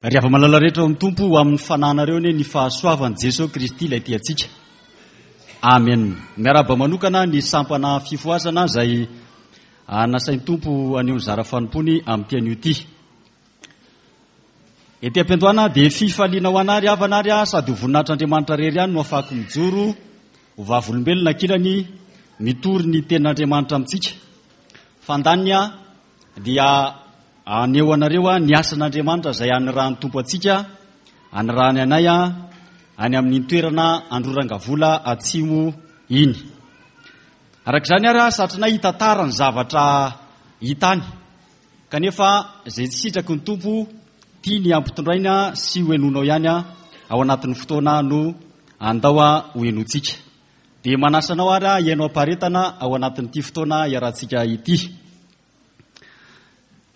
Ry hava-malala rehetra ao amin'ny Tompo, ho amin'ny fananareo anie ny fahasoavan'i Jesoa Kristy ilay tia antsika. Amen. Miarahaba manokana ny sampana fifohazana izay nasain'ny Tompo haneho ny zara fanompoany amin'ity anio ity. Ety am-piandohana dia fifaliana ho anà ry havana ary sady ho voninahitr'Andriamanitra irery ihany no afahako mijoro ho vavolombelona ankilany mitory ny tenin'Andriamanitra amintsika. Fandaniny dia haneho anareo ny asan'Andriamanitra izay anirahan'ny Tompo antsika, anirahany anay any amin'iny toerana Androrangavola Atsimo iny. Araka izany ary satrinay hitantara ny zavatra hita any, kanefa izay tsy sitraky ny Tompo tiany hampitondraina sy ho henoinao ihany ao anatin'ny fotoana no andao ho henointsika. Dia manasa anao ary hihaino am-paharetana ao anatin'ity fotoana iarahantsika ity.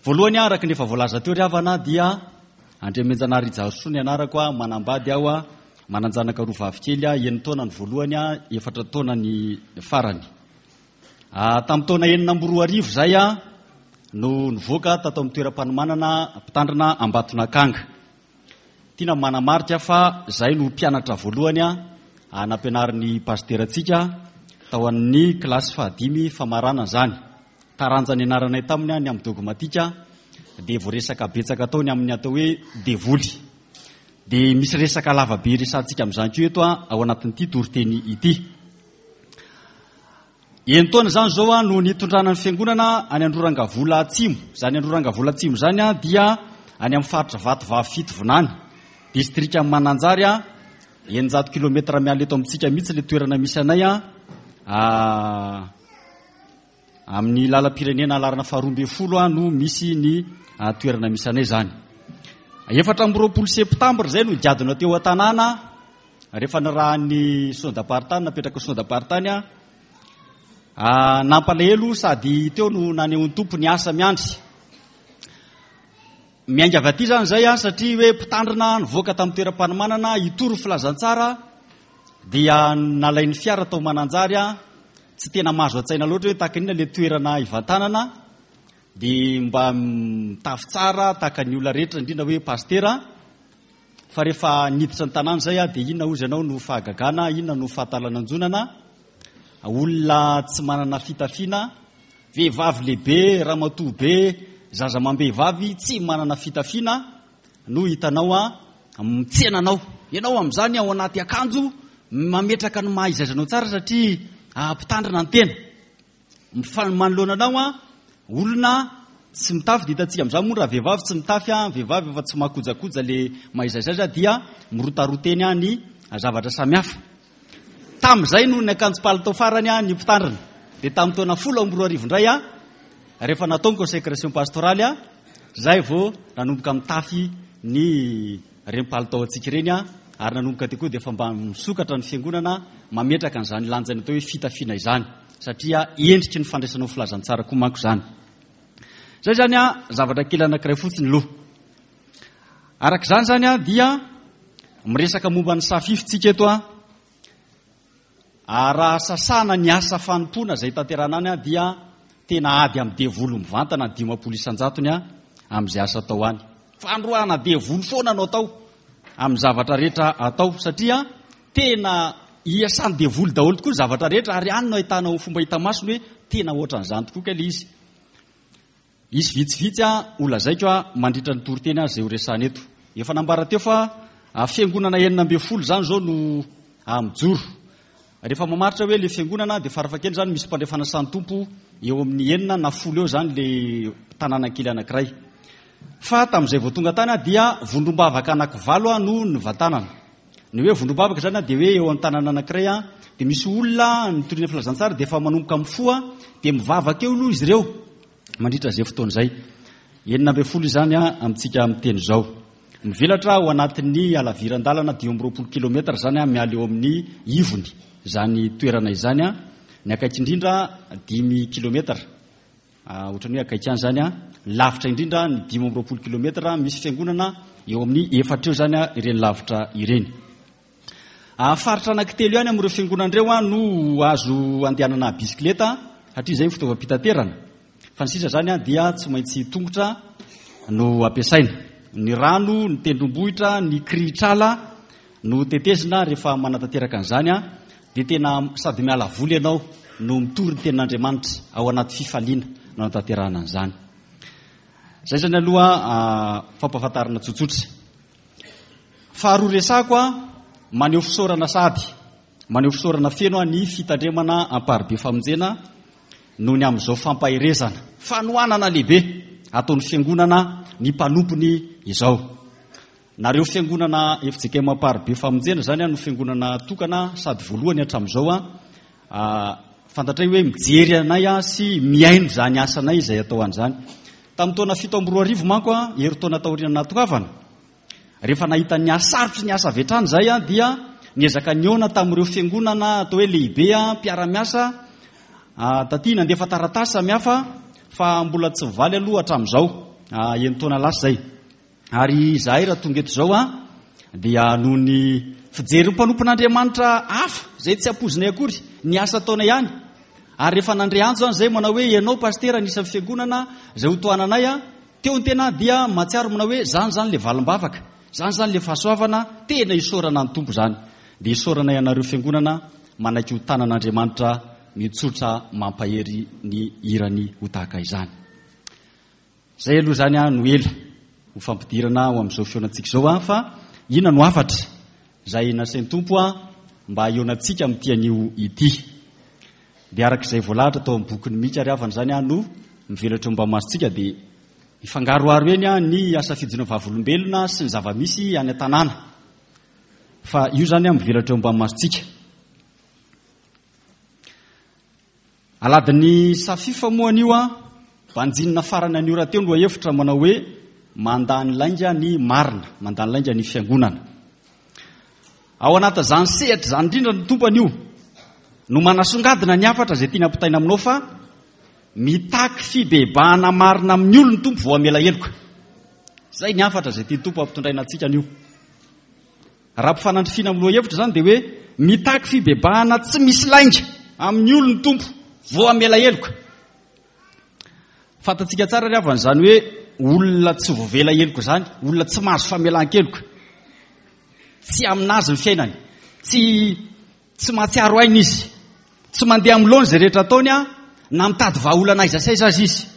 Voalohany araka ny efa voalaza teo ry havana dia Andriamenjanahary Rijarosoa ny anarako, manambady aho, manan-janaka roa vavy kely, enin-taona ny voalohany, efatra taona ny farany. Tamin'ny taona 2006 izay no nivoaka tato amin'ny toeram-panomanana mpitandrina Ambatonakanga. Tiana ny manamarika fa izahay no mpianatra voalohany nampianarin'ny pasiterantsika tao amin'ny kilasy fahadimy famaranana izany. Taranja nianaranay taminy ny amin'ny dogmatika dia voaresaka betsaka tao ny amin'ny atao hoe devoly. Dia misy resaka lava be resahantsika amin'izany koa eto ao anatin'ity toriteny ity. Enin-taona izany izao no nitondrana ny fiangonana any Androrangavola Atsimo. Izany Androrangavola Atsimo izany dia any amin'ny faritra Vatovavy Fitovinany, distrikan'i Mananjary, 600 kilometatra miala eto amintsika mihitsy ilay toerana misy anay, amin'ny lalam-pirenena laharana faharoa ambin'ny folo no misy ny toerana misy anay izany. 24 septambra izay no nigadona teo an-tanàna. Rehefa nirahan'ny Synodam-paritany, napetraky ny Synodam-paritany, nampalahelo sady teo no nanehoan'ny Tompo ny asa miandry. Miainga avy aty izany izay, satria hoe mpitandrina nivoaka tamin'ny toeram-panomanana hitory ny filazantsara, dia nalain'ny fiara tao Mananjary, tsy tena mahazo an-tsaina loatra hoe tahaka inona ilay toerana hivantanana, dia mba mitafy tsara tahaka ny olona rehetra, indrindra hoe pasitera. Fa rehefa niditra ny tanàna izay aho dia inona hozy ianao no fahagagana, inona no fahatalananjonana? Olona tsy manana fitafiana, vehivavy lehibe, ramatoa be, zaza amam-behivavy tsy manana fitafiana no hitanao mitsena anao. Ianao amin'izany ao anaty akanjo mametraka ny maha izy azy anao tsara satria mpitandrina ny tena. Manoloana anao an, olona tsy mitafy, dia hitantsika amin'izany moa raha vehivavy tsy mitafy an, vehivavy efa tsy mahakojakoja le mahaizaiza dia mirotaroa teny an ny zavatra samihafa. Tamin'izay no niakanjo palitao farany an ny mpitandrina. Dia tamin'ny taona 2010 indray an, rehefa natao ny consécration pastorale an, izay vao nanomboka mitafy ny ireny palitao antsika ireny ary nanomboka teo koa dia efa mba misokatra ny fiangonana mametraka an'izany lanjany atao hoe fitafiana izany satria endriky ny fandraisanao filazantsara koa manko izany. Izay izany zavatra kely anankiray fotsiny loha. Araka izany izany dia miresaka momba ny safify tsika eto Ary raha sasana ny asa fanompoana izay tanterahana any dia tena ady amin'ny devoly mivantana ny 50 isan-jatony amin'izay asa atao any. Fandroahana devoly foana no atao amin'ny zavatra rehetra atao satria tena iasan'ny devoly daholo tokoa ny zavatra rehetra ary any no ahitanao fomba hita maso ny hoe tena ohatran'izany tokoa kay ilay izy. Hisy vitsivitsy ho lazaiko mandritra ny toriteny izay ho resahana eto. Efa nambara teo fa fiangonana 16 izany izao no mijoro. Rehefa mamaritra hoe ilay fiangonana dia farafahakeliny izany misy mpandray fanasan'ny Tompo eo amin'ny enina na folo eo izany ilay tanàna kely anankiray. Fa tamin'izay vao tonga tany dia vondrom-bavaka anankivalo no nivantanana. Ny hoe vondrom-bavaka izany dia hoe eo amin'ny tanàna anankiray dia misy olona nitoriana filazantsara dia efa manomboka mifoha dia mivavaka eo aloha izy ireo. mandritra izay fotoana izay. 16 izany amintsika miteny izao. Mivelatra ao anatin'ny halaviran-dalana 25 kilometatra izany miala eo amin'ny ivony izany toerana izany. Ny akaiky indrindra 5 kilometatra. Ohatran'ny hoe akaiky ihany izany. Lavitra indrindra ny 25 kilometatra. Misy fiangonana eo amin'ny efatra eo izany ireny lavitra ireny. Faritra anankitelo ihany amin'ireo fiangonana ireo no azo andehanana bisikileta satria izay ny fitaovam-pitaterana. Fa ny sisa izany dia tsy maintsy tongotra no ampiasaina. Ny rano, ny tendrombohitra, ny kirihitr'ala no tetezina rehefa manatanteraka an'izany dia tena sady miala voly ianao no mitory ny tenin'Andriamanitra ao anaty fifaliana no anatanterahana an'izany. Izay izany aloha fampahafantarana tsotsotra. Faharoa resako maneho fisaorana sady maneho fisaorana feno ny fitandremana amparibe famonjena noho ny amin'izao fampaherezana, fanohanana lehibe ataon'ny fiangonana ny mpanompony izao. Nareo fiangonana FJKM Amparibe Famonjena izany no fiangonana tokana sady voalohany hatramin'izao. Fantatray hoe mijery anay sy mihaino izany asanay izay atao an'izany. Tamin'ny taona 2007 manko, herintaona taorian'ny nahatongavana, Rehefa nahita ny hasarotry ny asa avy hatrany izahay dia niezaka nihaona tamin'ireo fiangonana atao hoe lehibe mpiara-miasa taty, nandefa taratasy samihafa fa mbola tsy mivaly aloha hatramin'izao, enin-taona lasa izay. Ary izahay raha tonga eto izao dia noho ny fijerin'ny mpanompon'Andriamanitra hafa izay tsy ampoizinay akory ny asa ataonay ihany. Ary rehefa nandre antso izany izahay manao hoe ianao pasitera anisan'ny fiangonana izay hotohananay, Teo ny tena dia mahatsiaro manao hoe zany zany le valim-bavaka, zany zany le fahasoavana, tena isaorana ny Tompo zany. Dia isaorana ianareo fiangonana manaiky ho tanan'Andriamanitra mitsotra mampahery ny hirany ho tahaka izany. Zay aloha zany no ela ho fampidirana ho amin'izao fihaonantsika izao fa inona no hafatra izay nasain'ny Tompo mba hihaonantsika amin'ity anio ity. Dia araka izay voalahatra tao amin'ny bokin'i Mika ry havana izany no mivelatra eo ambany masontsika dia hifangaroharo eny ny asa fijoroana vavolombelona sy ny zava-misy any an-tanàna. Fa io izany mivelatra eo ambany masontsika. Aladin'ny Safifa moa anio banjinina farany anio rahateo ny lohahevitra manao hoe mandany lainga ny marina, mandany lainga ny fiangonana. Ao anatin'izany sehatra izany indrindra ny Tompo anio no manasongadina ny hafatra izay tiany hampitaina aminao fa mitaky fibebahana marina amin'ny olony Tompo vao hamela heloka. Izay ny hafatra izay tian'ny Tompo hampitondraina antsika anio. Raha ampifanandrifiana amin'ny lohahevitra izany dia hoe mitaky fibebahana tsy misy lainga amin'ny olony Tompo vao hamela heloka. Fantatsika tsara ry havana izany hoe olona tsy voavela heloka izany, olona tsy mahazo famelan-keloka. Tsy aminazy ny fiainany. Tsy tsy mahatsiaro aina izy. Tsy mandeha amin'ny laona izay rehetra ataony a, na mitady vahaolana aiza sy aiza aza izy.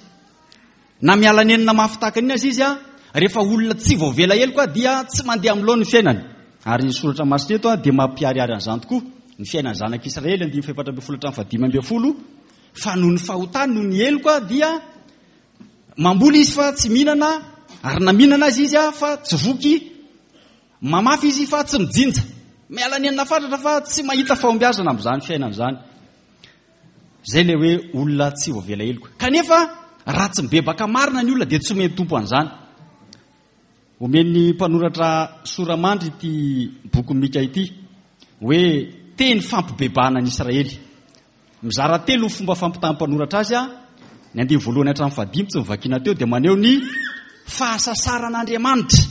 Na miala nenina mafy tahaka an'iny aza izy a, rehefa olona tsy voavela heloka dia tsy mandeha amin'ny laona ny fiainany. Ary ny soratra masina eto dia mampiharihary an'izany tokoa. Ny fiainan'ny zanak'Israely andininy fahefatra ambin'ny folo hatramin'ny fahadimy ambin'ny folo fa noho ny fahotany, noho ny heloka dia mamboly izy fa tsy mihinana ary na mihinana aza izy fa tsy voky, mamafy izy fa tsy mijinja. Miala nenina fatratra fa tsy mahita fahombiazana amin'izany fiainana izany. Izay ilay hoe olona tsy voavela heloka. Kanefa raha tsy mibebaka marina ny olona dia tsy omen'ny Tompo an'izany. Omen'ny mpanoratra sora-mandry ity bokin'i Mika ity hoe teny fampibebahana an'i Israely. Mizara telo ny fomba fampitahan'ny mpanoratra azy, ny andininy voalohany hatramin'ny fahadimy tsy novakiana teo dia maneho ny fahasasaran'Andriamanitra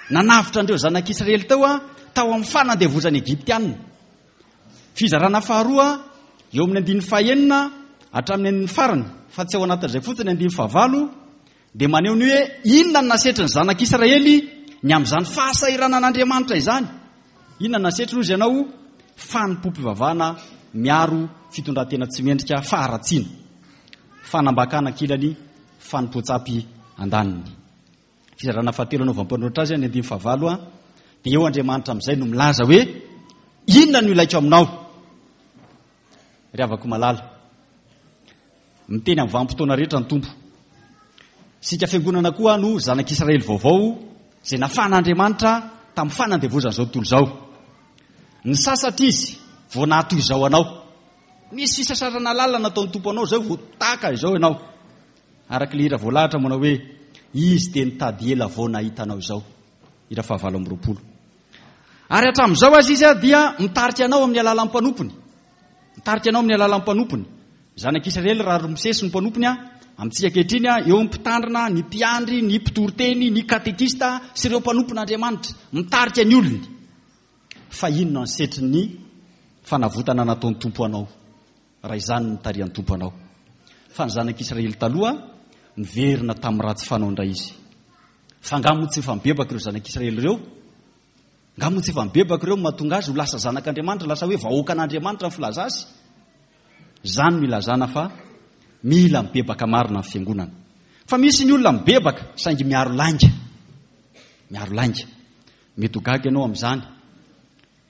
nanavotra an'ireo zanak'Israely teo tao amin'ny fanandevozan'ny Egyptiana. Fizarana faharoa eo amin'ny andininy fahenina hatramin'ny andininy farany, fa tsy ao anatin'izay fotsiny andininy fahavalo dia maneho ny hoe inona no nasetrin'ny zanak'Israely ny amin'izany fahasahiranan'Andriamanitra izany. Inona no nasetriny hozy ianao? Fanompoam-pivavahana miaro fitondran-tena tsy mendrika, faharatsiana, fanambakana ankilany, fanompoan-tsampy andaniny. Fizarana fahatelo anaovan'ny mpanoratra azy, ny andininy fahavalo, dia eo Andriamanitra amin'izay no milaza hoe inona no ilaiko aminao? Ry havako malala, miteny amin'ny vanim-potoana rehetra ny Tompo. Isika fiangonana koa no zanak'Israely vaovao izay nafahan'Andriamanitra tamin'ny fanandevozan'izao tontolo izao. Nisasatra izy vao nahatoy izao anao. Nisy fisasarana lalina nataon'ny Tompo anao izao vao tahaka izao ianao. Araka ilay hira voalahatra manao hoe Izy dia nitady ela vao nahita anao izao. Hira fahavalo amby roapolo. Ary hatramin'izao aza izy dia mitarika anao amin'ny alalan'ny mpanompony. Mitarika anao amin'ny alalan'ny mpanompony. Zanak'Israely raha Mosesy ny mpanompony, amintsika ankehitriny eo ny mpitandrina, ny mpiandry, ny mpitoriteny, ny katekista sy ireo mpanompon'Andriamanitra. Mitarika ny olony. Fa inona ny setrin'ny fanavotana nataon'ny Tompo anao raha izany no nitarihan'ny Tompo anao? Fa ny zanak'Israely taloha niverina tamin'ny ratsy fanao indray izy. Fa angaha moa tsy efa mibebaka ireo zanak'Israely ireo? Angaha moa tsy efa mibebaka ireo no mahatonga azy ho lasa zanak'Andriamanitra, lasa hoe vahoakan'Andriamanitra ny filaza azy? Izany no ilazana fa mila mibebaka marina ny fiangonana. Fa misy ny olona mibebaka saingy miaro lainga. Miaro lainga. Mety ho gaga ianao amin'izany.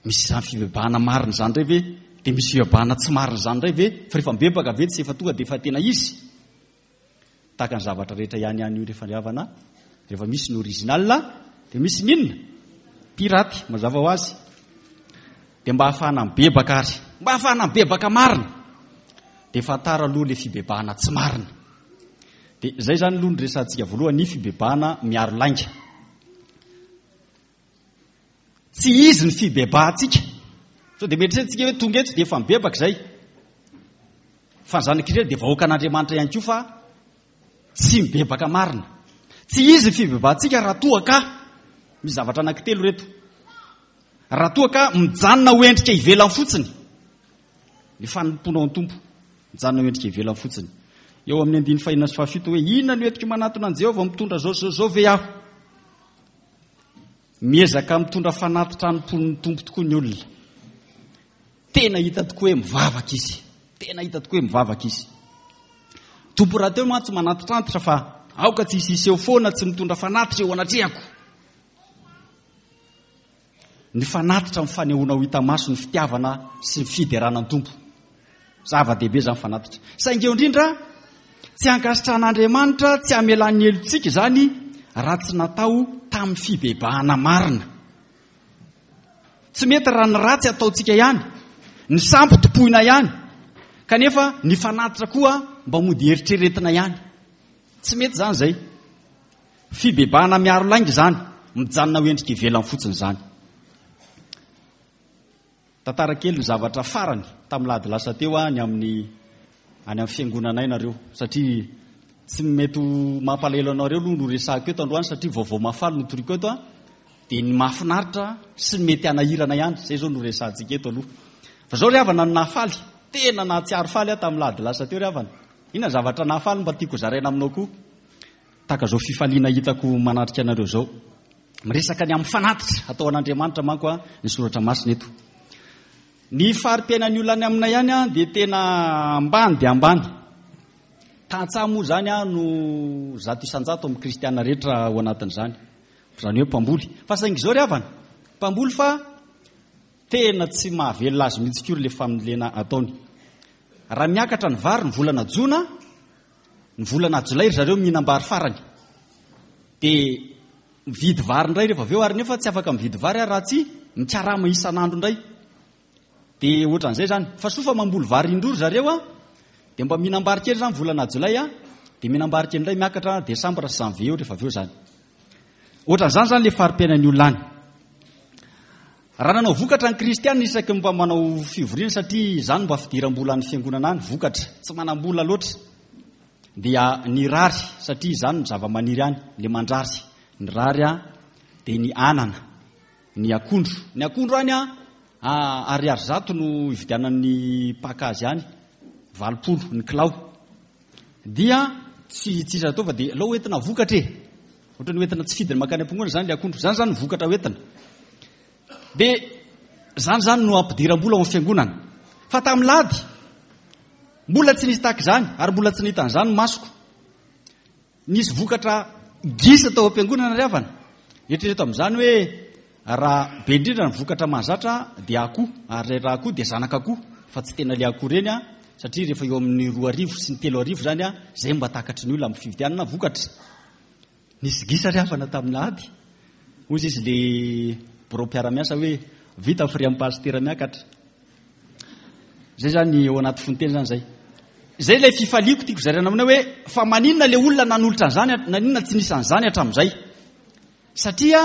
Misy izany fibebahana marina izany indray ve? Dia misy fibebahana tsy marina izany indray ve? Fa rehefa mibebaka ve tsy efa tonga dia efa tena izy? Tahaka ny zavatra rehetra ihany ihany io rehefa ry havana, rehefa misy ny original dia misy ny inona? Piraty, mazava ho azy. Dia mba hahafahana mibebaka ary, mba hahafahana mibebaka marina, dia fantaro aloha ilay fibebahana tsy marina. Dia izay izany aloha ny resahantsika voalohany, ny fibebahana miaro lainga. Tsy izy ny fibebahantsika. Sao dia mieritreritra hoe tonga eto dia efa mibebaka izay. Fa ny zanak'Israely dia vahoakan'Andriamanitra ihany koa fa tsy mibebaka marina. Tsy izy ny fibebahantsika raha toa ka misy zavatra anankitelo ireto. Raha toa ka mijanona ho endrika ivelany fotsiny ny fanompoanao ny Tompo, mijanona ho endrika ivelany fotsiny. Eo amin'ny andininy fahenina sy fahafito hoe inona no entiko manatona an'i Jehovah mitondra zao zao zao ve aho? Miezaka mitondra fanatitra hanompoan'ny Tompo tokoa ny olona. Tena hita tokoa hoe mivavaka izy. Tena hita tokoa hoe mivavaka izy. Tompo rahateo mantsy manatitrantitra fa aoka tsy hisy hiseho foana tsy mitondra fanatitra eo anatrehako. Ny fanatitra amin'ny fanehoana ho hita maso ny fitiavana sy ny fiderana ny Tompo. Zava-dehibe izany fanatitra. Saingy eo indrindra, tsy ankasitrahan'Andriamanitra tsy hamelany ny helotsika izany raha tsy natao tamin'ny fibebahana marina. Tsy mety raha ny ratsy ataontsika ihany, ny sampy tompoina ihany, kanefa ny fanatitra koa mba mody eritreretina ihany. Tsy mety izany izay. Fibebahana miaro lainga izany, mijanona ho endrika ivelany fotsiny izany. Tantara kely ny zavatra farany tamin'ny lahady lasa teo any amin'ny any amin'ny fiangonanay nareo satria tsy mety ho mampalahelo anareo aloha no resahako eto androany satria vaovao mahafaly no toriko eto a dia ny mahafinaritra sy ny mety hanahirana ihany izay izao no resahantsika eto aloha. Fa izao ry havana no nahafaly, tena nahatsiaro faly aho tamin'ny lahady lasa teo ry havana. Inona zavatra nahafaly mba tiako zaraina aminao koa? Tahaka izao fifaliana hitako manatrika anareo izao. Miresaka ny amin'ny fanatitra atao an'Andriamanitra manko ny soratra masina eto. Ny fari-piainan'ny olona any aminay any dia tena ambany dia ambany. Tantsaha moa izany no 100% amin'ny kristiana rehetra ao anatin'izany. Izany hoe mpamboly. Fa saingy izao ry havana, mpamboly fa tena tsy mahavelona azy mihitsy koa ilay fambolena ataony. Raha miakatra ny vary ny volana jona, Ny volana jolay ry zareo mihinam-bary farany. Dia mividy vary indray rehefa avy eo ary nefa tsy afaka mividy vary ary raha tsy mikarama isan'andro indray. Dia ohatran'izay izany. Fa soa fa mamboly vary indroa ry zareo a, dia mba mihinam-bary kely izany volana jolay a, dia mihinam-bary kely indray miakatra desambra sy janvier eo rehefa avy eo izany. Ohatran'izany izany ilay fari-piainan'ny olona any. Raha nanao vokatra ny kristiana isaky ny mba manao fivoriana satria izany mba fidiram-bolan'ny fiangonana any, vokatra, tsy manam-bola loatra, dia ny rary satria izany ny zava-maniry any, le mandrary, ny rary dia ny anana, ny akondro. Ny akondro any ariary zato no ividianan'ny mpaka azy any, 80 ny kilao. Dia tsy tsisy atao fa dia alao hoentina vokatra e. Ohatran'ny hoentina tsy fidiny mankany am-pongona izany ilay akondro. Izany izany ny vokatra hoentina. Dia izany izany no ampidiram-bola ao amin'ny fiangonana. Fa tamin'ny lady, mbola tsy nisy tahaka izany ary mbola tsy nahita an'izany ny masoko. Nisy vokatra gisa tao am-piangonana ry havana. Eritrereto amin'izany hoe raha be indrindra ny vokatra mahazatra dia akoho, ary raha akoho dia zanak'akoho, fa tsy tena ilay akoho ireny satria rehefa eo amin'ny 2000 sy ny 3000 izany izay mba takatry ny olona amin'ny fividianana vokatra. Nisy gisa ry havana tamin'ny ady. Hoy izy le birao mpiara-miasa hoe vita frais amin'ny pasitera miakatra. Zay zany eo anaty fonteny zany zay. Zay ilay fifaliako tiako zaraina aminao hoe fa maninona le olona nanolotra an'izany, naninona tsy nisy an'izany hatramin'izay? Satria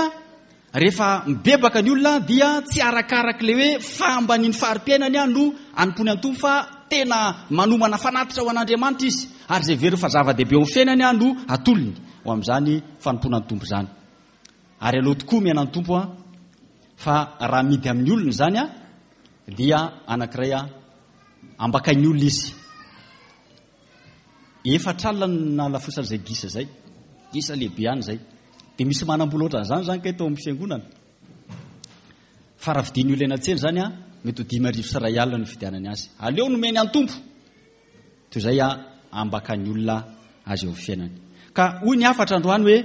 rehefa mibebaka ny olona dia tsy arakarak'ilay hoe fahambanian'ny fari-piainany no anompoany an'i Tompo fa tena manomana fanatitra ho an'Andriamanitra izy ary izay heveriny fa zava-dehibe ao amin'ny fiainany no atolony ho amin'izany fanompoana ny Tompo izany. Ary aleo tokoa miaina ny Tompo fa raha amidy amin'ny olona izany dia anankiray ambakain'ny olona izy. Efatra alina no nahalafosan'izay gisa izay. Gisa lehibe ihany izay. Dia misy manam-bola ohatran'izany izany kay tao amin'ny fiangonana. Fa raha vidian'ny olona eny an-tsena izany, mety ho 1500 no fividianany azy. Aleo nomeny an'ny Tompo. Toy izay ambakan'ny olona azy eo amin'ny fiainany. Ka hoy ny hafatra androany hoe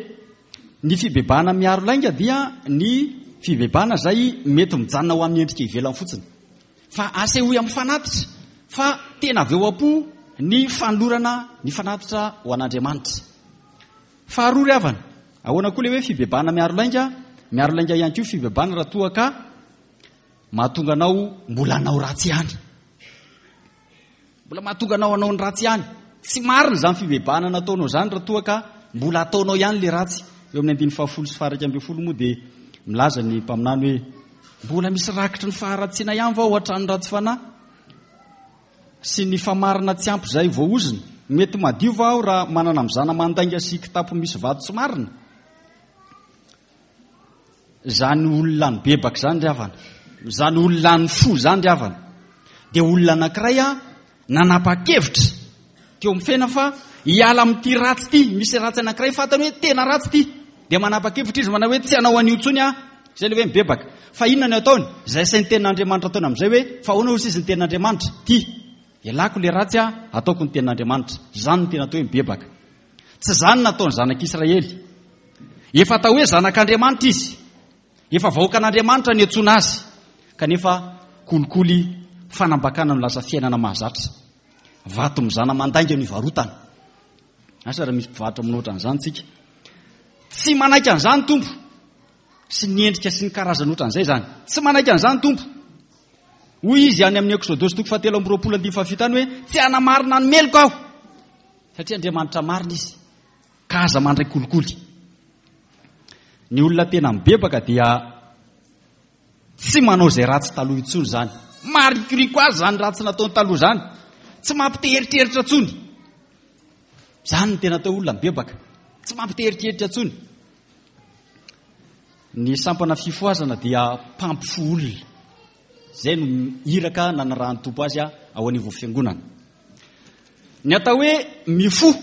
ny fibebahana miaro lainga dia ny fibebahana izay mety mijanona ho amin'ny endrika ivelany fotsiny. Fa asehoy amin'ny fanatitra fa tena avy eo am-po ny fanolorana ny fanatitra ho an'Andriamanitra. Faharoa ry havana, ahoana koa ilay hoe fibebahana miaro lainga? Miaro lainga ihany koa fibebahana raha toa ka mahatonga anao mbola hanao ratsy ihany. Mbola mahatonga anao hanao ny ratsy ihany. Tsy marina izany fibebahana nataonao izany raha toa ka mbola ataonao ihany ilay ratsy. Eo amin'ny andininy fahafolo sy faha-11 moa dia milaza ny mpaminany hoe mbola misy rakitry ny faharatsiana ihany va ao an-tranon'ny ratsy fanahy sy ny famarana tsy ampy izay voaozona? Mety madio va aho raha manana mizana mandainga sy kitapo misy vato tsy marina? Izany olona nibebaka izany ry havana, izany olona nifoha izany ry havana, dia olona anankiray a nanapa-kevitra teo amin'ny fiainana fa hiala amin'ity ratsy ity, misy ratsy anankiray fantany hoe tena ratsy ity, dia manapa-kevitra izy manao hoe tsy hanao an'io intsony aho, izay ilay hoe mibebaka. Fa inona no ataony? Izay asain'ny tenin'Andriamanitra ataony amin'izay hoe fa ahoana hoy izy ny tenin'Andriamanitra? Ity, ialako ilay ratsy aho, ataoko ny tenin'Andriamanitra. Izany no tena atao hoe mibebaka. Tsy izany nataon'ny zanak'Israely. Efa atao hoe zanak'Andriamanitra izy. Efa vahoakan'Andriamanitra niantsoana azy. Kanefa kolikoly, fanambakana no lasa fiainana mahazatra. Vato mizana mandainga no ivarotana. Asa raha misy mpivarotra manao ohatran'izany tsika. Tsy manaiky an'izany Tompo. Sy ny endrika sy ny karazany ohatran'izay izany. Tsy manaiky an'izany Tompo. Hoy izy any amin'ny Eksodosy toko fahatelo amby roapolo andininy fahafito any hoe tsy hanamarina ny meloka aho. Satria Andriamanitra marina izy, ka aza mandray kolikoly. Ny olona tena mibebaka dia tsy manao izay ratsy taloha intsony izany. Marikoriko azy izany ratsy nataony taloha izany. Tsy mampite eritreritra intsony. Izany no tena atao olona mibebaka. Tsy mampite eritreritra intsony. Ny sampana fifohazana dia mpampifoha olona. Izay no iraka nanarahan'ny Tompo azy ao anivon'ny fiangonana. Ny atao hoe mifoha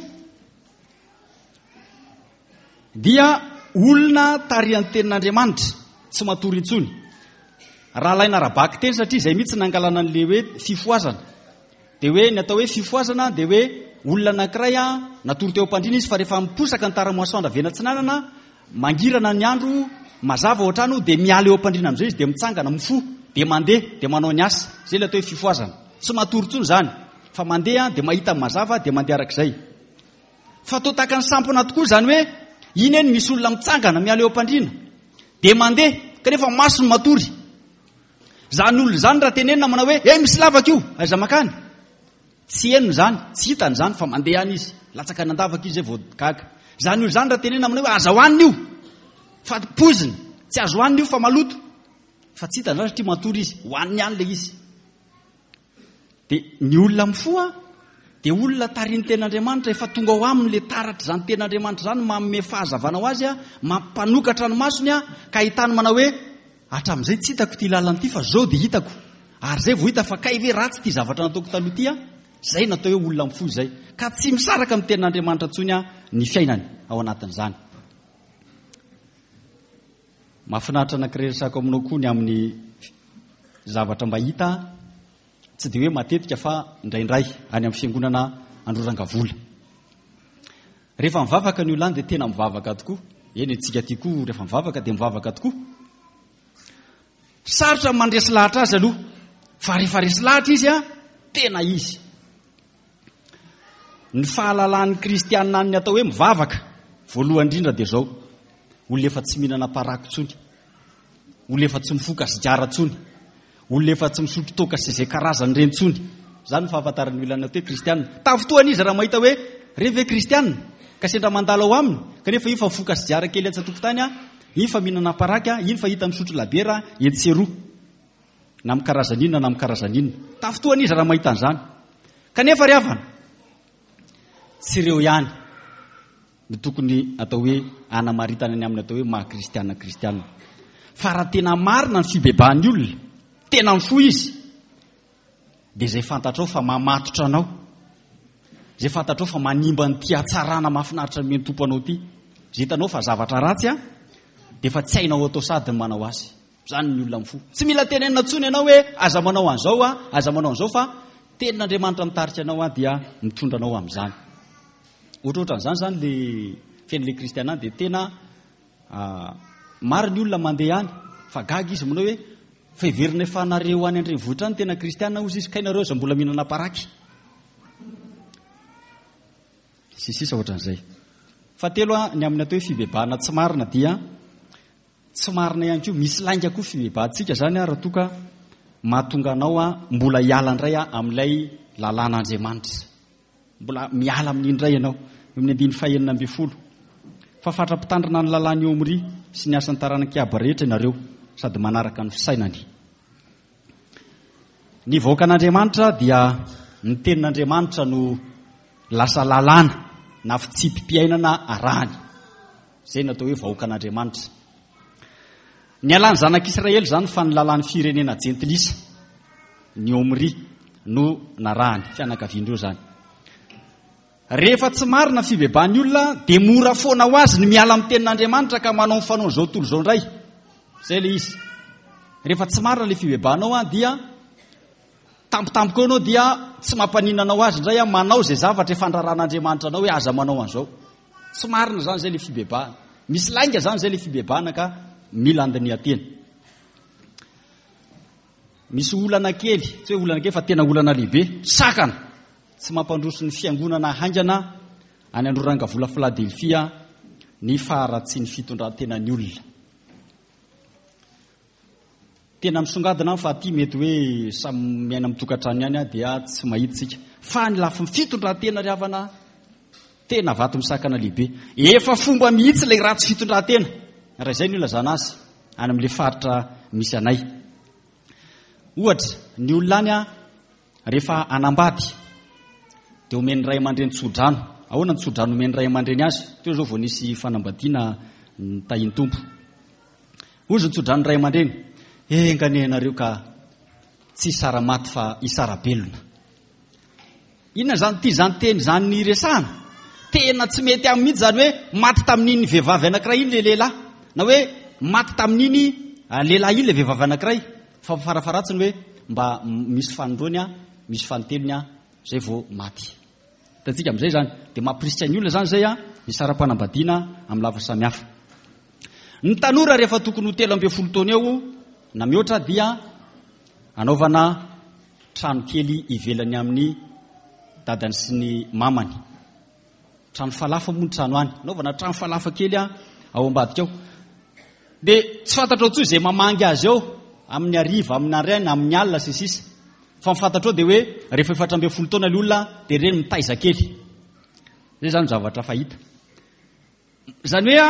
dia olona tarihan'ny tenin'Andriamanitra, tsy matory intsony. Raha alaina ara-bakiteny satria izay mihitsy nangalana an'ilay hoe fifohazana. Dia hoe ny atao hoe fifohazana dia hoe olona anankiray natory teo am-pandriana izy fa rehefa miposaka ny tara-masoandro avy eny atsinanana, Mangirana ny andro, mazava ao an-trano, dia miala eo am-pandriana amin'izay izy, dia mitsangana, mifoha, dia mandeha, dia manao ny asa. Izay ilay atao hoe fifohazana. Tsy matory intsony izany, fa mandeha, dia mahita ny mazava, dia mandeha arak'izay. Fa toa tahaka ny sampona tokoa izany hoe, iny eny misy olona mitsangana, miala eo am-pandriana, dia mandeha, kanefa masony matory. Izany olona izany raha tenenina manao hoe, eh misy lavaka io, aiza mankany? Tsy henony izany, tsy hitany izany fa mandeha any izy. Latsaka any an-davaka izy vao gaga. Izany olona izany raha tenenina aminao hoe aza hohanina io fa poizina, tsy azo hohanina io fa maloto. Fa tsy hitany izany satria matory izy, hohaniny ihany ilay izy. Dia ny olona mifoha dia olona tarihin'ny tenin'Andriamanitra, efa tonga ao aminy ilay taratra izany tenin'Andriamanitra izany, manome fahazavana ho azy, mampanokatra ny masony ka ahitany manao hoe Hatramin'izay tsy hitako ity lalana ity fa zao dia hitako. Ary zay vao hita fa kay ve ratsy ity zavatra nataoko taloha ity an! Zay no atao hoe olona mifoha izay. Ka tsy misaraka amin'ny tenin'Andriamanitra intsony an ny fiainany ao anatin'izany. Mahafinaritra anankiray resako aminao koa ny amin'ny zavatra mba hita tsy dia hoe matetika fa indraindray any amin'ny fiangonana Androrangavola. Rehefa mivavaka ny olona any dia tena mivavaka tokoa. Eny, antsika aty koa rehefa mivavaka dia mivavaka tokoa. Sarotra ny mandresy lahatra azy aloha, fa rehefa resy lahatra izy a, tena izy. Ny fahalalan'ny kristianina ny atao hoe mivavaka, voalohany indrindra dia izao, olona efa tsy mihinana paraky intsony, olona efa tsy mifoka sigara intsony, Olona efa tsy misotro toaka sy izay karazany ireny intsony. Izany no fahafantaran'ny olona ny atao hoe kristiana. Tafintohana izy raha mahita hoe ireny ve kristiana? Ka sendra mandalo ao aminy, kanefa iny fa mifoka sigara kely etsy an-tokotany, iny fa mihinana paraky, iny fa hita misotro labiera etsy sy eroa. Na amin'ny karazany inona na amin'ny karazany inona. Tafintohana izy raha mahita an'izany. Kanefa ry havana, tsy ireo ihany. no tokony atao hoe anamaritana ny amin'ny atao hoe maha kristiana kristiana. Fa raha tena marina ny fibebahan'ny olona, tena mifoha izy, dia izay fantatrao fa mamatotra anao, izay fantatrao fa manimba an'ity hatsarana mahafinaritra nomen'ny Tompo anao ity. Izay hitanao fa zavatra ratsy an, dia efa tsy hainao atao sady ny manao azy. Izany ny olona mifoha. Tsy mila tenenina intsony ianao hoe aza manao an'izao an, aza manao an'izao fa tenin'Andriamanitra mitarika anao an dia mitondra anao amin'izany. Ohatrohatran'izany izany le fiainan'ilay kristiana dia tena maro ny olona mandeha any fa gaga izy manao hoe fa heverina efa nareo any an-drenivohitra any tena kristiana hozy izy kay nareo aza mbola mihinana paraky. Sy sisa ohatran'izay. Fahatelo ny amin'ny atao hoe fibebahana tsy marina dia tsy marina ihany koa, misy lainga koa fibebahantsika izany raha toa ka mahatonga anao mbola hiala indray amin'ilay lalàn'Andriamanitra. Mbola miala amin'iny indray ianao. Eo amin'ny andininy fahenina ambin'ny folo. Fa fatra-pitandrina ny lalàn'i Omry sy ny asan'ny taranak'i Aba rehetra ianareo, sady manaraka ny fisainany. Ny vahoakan'Andriamanitra dia ny tenin'Andriamanitra no lasa lalàna na fitsipi-piainana arahany. Izay no atao hoe vahoakan'Andriamanitra. Nialan'ny zanak'Israely izany fa ny lalàn'ny firenena jentilisa, ny Omri, no narahany, fianakavian'ireo izany. Rehefa tsy marina ny fibebahan'ny olona dia mora foana ho azy ny miala amin'ny tenin'Andriamanitra ka manao ny fanaon'izao tontolo izao indray. Izay ilay izy. Rehefa tsy marina ilay fibebahanao dia tampotampoka eo ianao dia tsy mampaninona anao azy indray manao izay zavatra efa andraran'Andriamanitra anao hoe aza manao an'izao. Tsy marina izany izay ilay fibebahana. Misy lainga izany izay ilay fibebahana ka mila andinihan-tena. Misy olana kely, tsy hoe olana kely fa tena olana lehibe, sakana tsy mampandroso ny fiangonana haingana any Androrangavola Philadelphia ny faharatsian'ny fitondran-tenan'ny olona. Tena misongadina aho fa aty mety hoe samy miaina amin'ny tokantrano ihany aho dia tsy mahita isika. Fa ny lafiny fitondran-tena ry havana, tena vato misakana lehibe. Efa fomba mihitsy ilay ratsy fitondran-tena, raha izay no ilazana azy, any amin'ilay faritra misy anay. Ohatra, ny olona any rehefa hanambady dia omen'ny ray aman-dreny tsodrano. Ahoana ny tsodrano omen'ny ray aman-dreny azy? Teo izao vao nisy fanambadiana nitahian'ny Tompo. Hozy ny tsodrano ray aman-dreny, enga anie ianareo ka tsy hisara-maty fa hisara-belona. Inona izany ity izany teny izany niresahana? Tena tsy mety aminy mihitsy izany hoe maty tamin'iny vehivavy anankiray iny ilay lehilahy, na hoe maty tamin'iny ah, lehilahy iny ilay vehivavy anankiray. Fa farafaharatsiny hoe mba misy fanindroany, misy fanintelony izay vao maty. Hitantsika amin'izay izany. Dia mampirisika ny olona izany izay hisara-panambadiana amin'ny lafiny samihafa. Ny tanora rehefa tokony ho 13 taona eo na mihoatra dia anaovana trano kely ivelany amin'ny dadany sy ny mamany. Trano falafa moa ny trano any. Anaovana trano falafa kely ao ambadika ao. Dia tsy fantatrao intsony izay mamangy azy ao amin'ny hariva, amin'ny maraina, amin'ny alina sy ny sisa. Fa ny fantatrao dia hoe rehefa 14 taona ilay olona dia ireny mitaiza kely. Izay izany zavatra fahita. Izany hoe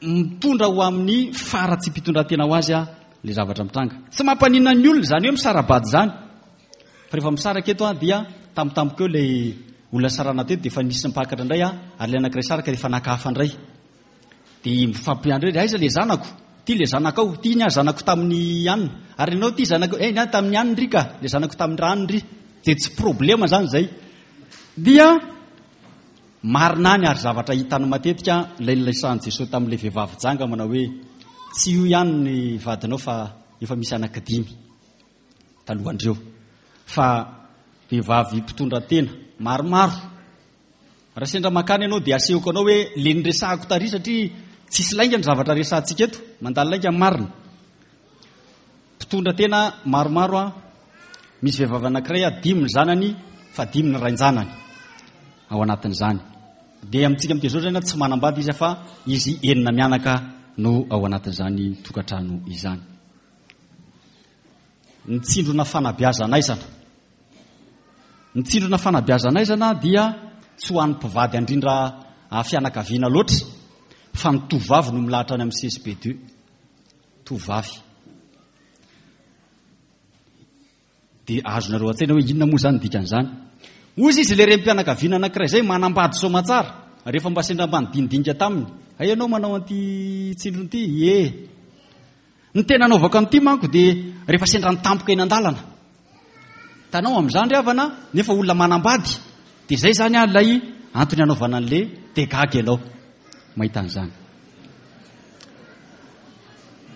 mitondra ho amin'ny faharatsiam-pitondran-tena ho azy ilay zavatra mitranga. Tsy mampaninona ny olona izany hoe misara-bady izany. Fa rehefa misaraka eto dia tampotampoka eo ilay olona sarana teto dia efa nisy mpakatra indray ary ilay anankiray saraka dia efa naka hafa indray. Dia mifampiandry hoe aiza ilay zanako? Ity ilay zanakao, ity ny ahy zanako tamin'ny anona. Ary ianao ity zanako, eh ny ahy tamin'ny anona ry ka, ilay zanako tamin'ny rano ry. Dia tsy problema izany izay. Dia marina any ary zavatra hitany matetika ilay nilasahan'i Jesosy tamin'ilay vehivavy janga manao hoe tsy io ihany ny vadinao fa efa misy anankidimy talohan'ireo. Fa vehivavy mpitondra tena maromaro Raha sendra mankany ianao dia asehoko anao hoe le niresahako tary satria tsisy lainga ny zavatra resahantsika eto, mandalo lainga ny marina. Mpitondra tena maromaro an, misy vehivavy anankiray an, dimy ny zanany fa dimy ny rain-janany ao anatin'izany. Dia amintsika amin'ity izao izany tsy manambady izy fa izy enina mianaka no ao anatin'izany tokantrano izany. Ny tsindrona fanabeazan'aizana. Ny tsindrona fanabeazan'aizana dia tsy ho an'ny mpivady handrindra fianakaviana loatra fa ny tovovavy no milahatra any amin'ny CSB deux. Tovovavy. Dia azonareo an-tsaina hoe inona moa izany ny dikan'izany. Hoy izy ilay renim-pianakaviana anankiray izay manambady soamatsara rehefa mba sendra mba nidinidinika taminy. Hay ianao manao an'ity tsindrona ity? Ie. Ny tena anaovako an'ity manko dia rehefa sendra ny tampoka eny an-dalana. Hitanao amin'izany ry havana, nefa olona manambady, dia izay izany an ilay antony anaovana an'le dia gaga ianao. mahita an'izany.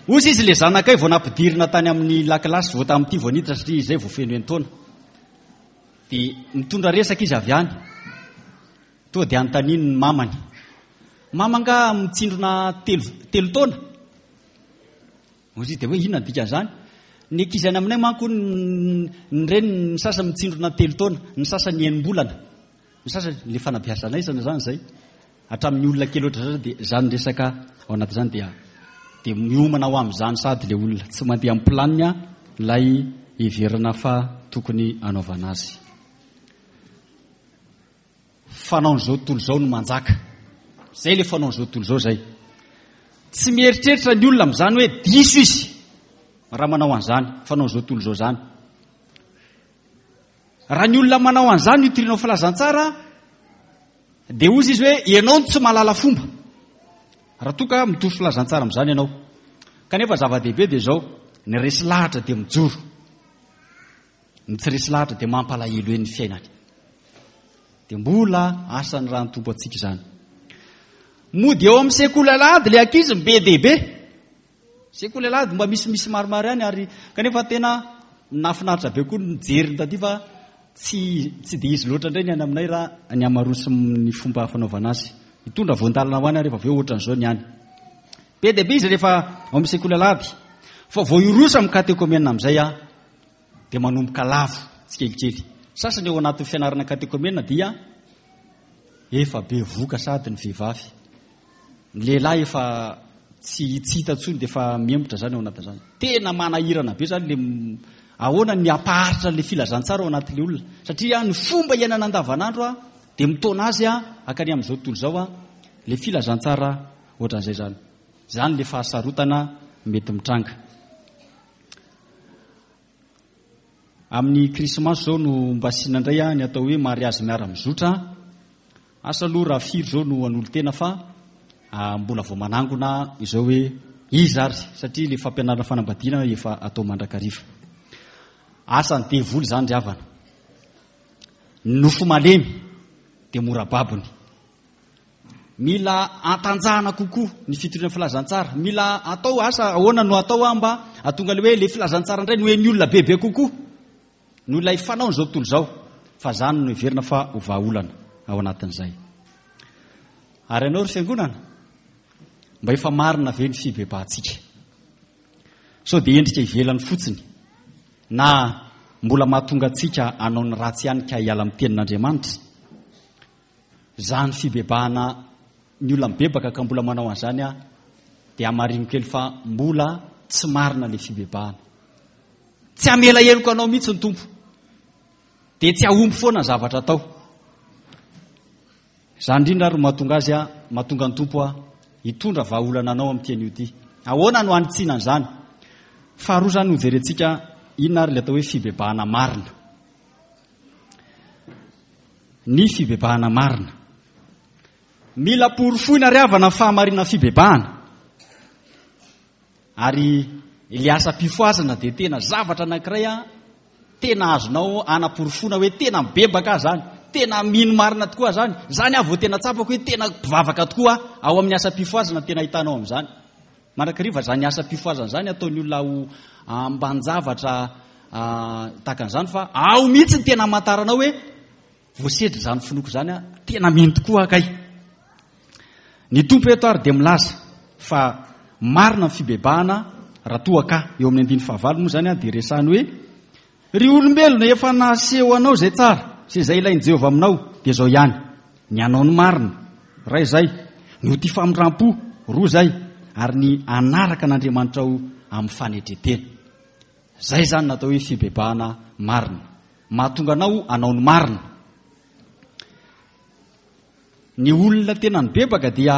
Hozy izy le zanakay vao nampidirina tany amin'ny lakilasy vao tamin'ity vao niditra satria izay vao feno enin-taona. Dia mitondra resaka izy avy any. Toa dia anontaniany ny mamany. Mama angaha mitsindrona telo, telo taona? Hozy izy dia hoe inona ny dikan'izany? Ny ankizy any aminay manko ny reniny ny sasany mitsindrona telo taona, ny sasany enim-bolana. Ny sasany, le fanabeazana aizana izany izay. Hatramin'ny olona kely ohatr'izany dia izany resaka ao anatin'izany dia dia miomana ho amin'izany sady le olona. Tsy mandeha amin'ny planina ilay heverina fa tokony hanaovana azy. Fanaon'izao tontolo izao no manjaka. Izay ilay fanaon'izao tontolo izao izay. Tsy mieritreritra ny olona amin'izany hoe diso izy raha manao an'izany fanaon'izao tontolo izao izany. Raha ny olona manao an'izany no itorianao filazantsara dia hozy izy hoe ianao no tsy mahalala fomba. Raha toa ka mitory filazantsara amin'izany ianao. Kanefa zava-dehibe dia izao, ny resy lahatra dia mijoro. Ny tsy resy lahatra dia mampalahelo eny ny fiainany. Dia mbola asan'ny raha ny Tompo antsika izany. Mody eo amin'ny sekoly alahady ilay ankizy be dia be. Sekoly alahady mba misimisy maromaro ihany ary kanefa tena nahafinaritra be koa ny nijery ny taty fa tsy tsy dia izy loatra indray ny any aminay raha ny hamaroa sy ny fomba fanaovana azy. Hitondra voan-dalana ho any ary rehefa avy eo ohatran'izao ny any. Be dia be izy rehefa ao amin'ny sekoly alahady. Fa vao hiroso amin'ny katekomena amin'izay aho dia manomboka lavo tsikelikely. Sasany ao anatin'ny fianarana katekomena dia efa bevoka sady ny vehivavy. Ny lehilahy efa tsy tsy hita intsony dia efa mihemotra izany ao anatin'izany. Tena manahirana be izany le ahoana ny hampaharitra le filazantsara ao anatin'le olona. Satria ny fomba iainana andavanandro dia mitaona azy hakany amin'izao tontolo izao le filazantsara ohatran'izay izany. Izany le fahasarotana mety mitranga. Amin'ny krismasy izao no mba asiana indray ny atao hoe mariazy miara-mizotra. Asa aloha raha firy izao no hanolo-tena fa mbola vao manangona izao hoe iza ary satria ilay fampianarana fanambadiana efa atao mandrakariva. Asan'ny devoly izany ry havana. Ny nofo malemy dia mora babony. Mila antanjahana kokoa ny fitoriana filazantsara. Mila atao asa ahoana no atao aho mba hahatonga ilay hoe ilay filazantsara indray no hen'ny olona bebe kokoa noho ilay fanaon'izao tontolo izao. Fa izany no heverina fa ho vahaolana ao anatin'izay. Ary ianao ry fiangonana, mba efa marina ve ny fibebahantsika? Sao dia endrika ivelany fotsiny na mbola mahatonga antsika hanao ny ratsy ihany ka hiala amin'ny tenin'Andriamanitra? Izany fibebahana ny olona mibebaka ka mbola manao an'izany aho dia hamarino kely fa mbola tsy marina ilay fibebahana. Tsy hamela heloka anao mihitsy ny Tompo. Dia tsy hahomby foana ny zavatra atao. Izany indrindra ary no mahatonga azy mahatonga ny Tompo hitondra vahaolana anao amin'ity anio ity. Ahoana no hanitsiana an'izany? Faharoa izany hojerentsika inona ary ilay atao hoe fibebahana marina. Ny fibebahana marina. Mila porofoina ry havana ny fahamarinan'ny fibebahana. Ary ilay asam-pifohazana dia tena zavatra anankiray a, tena azonao anaporofoana hoe tena mibebaka aho izany, tena mino marina tokoa aho izany, izany aho vao tena tsapako hoe tena mpivavaka tokoa aho, ao amin'ny asam-pifohazana tena ahitanao amin'izany. Mandrakariva izany asam-pifohazana izany ataon'ny olona ho ambanin-javatra tahaka an'izany fa ao mihitsy ny tena hamantaranao hoe voasedra izany finoako izany aho, tena mino tokoa aho kay. Ny Tompo eto ary dia milaza fa marina ny fibebahana raha toa ka, eo amin'ny andininy fahavalo moa izany dia resahiny hoe Ry olombelona, efa naseho anao izay tsara sy izay ilain'i Jehovah aminao, dia izao ihany, ny hanao ny marina, iray izay, ny ho tia famindram-po, roa izay, ary ny hanaraka an'Andriamanitrao amin'ny fanetren-tena. Izay izany no atao hoe fibebahana marina. Mahatonga anao hanao ny marina. Ny olona tena nibebaka dia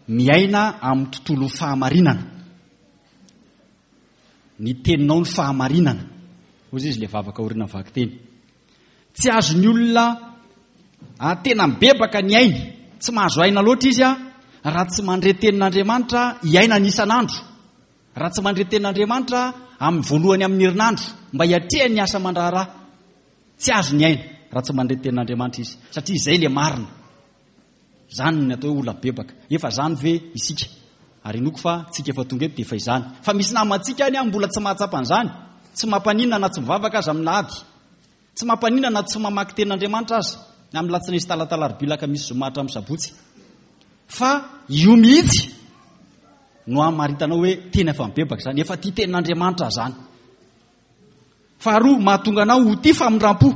miaina amin'ny tontolon'ny fahamarinana. Ny teninao no fahamarinana. Hoy izy ilay vavaka aorianan'ny vakiteny. Tsy azon'ny olona tena mibebaka ny ainy. Tsy mahazo aina loatra izy raha tsy mandre tenin'Andriamanitra iainany isan'andro. Raha tsy mandre tenin'Andriamanitra amin'ny voalohany amin'ny herinandro mba hiatrehany ny asa aman-draharaha. Tsy azony aina raha tsy mandre tenin'Andriamanitra izy satria izay ilay marina. Izany ny atao hoe olona mibebaka. Efa izany ve isika? Ary inoako fa tsika efa tonga eto dia efa izany. Fa misy namantsika any mbola tsy mahatsapa an'izany. Tsy mampaninona na tsy mivavaka aza amin'ny lahady. Tsy mampaninona na tsy mamaky tenin'Andriamanitra aza amin'ny latsinainy sy talata alarobia alakamisy zoma hatramin'ny sabotsy. Fa io mihitsy no hamaritanao hoe tena efa mibebaka izany, efa tia tenin'Andriamanitra izany. Faharoa, mahatonga anao ho tia famindram-po.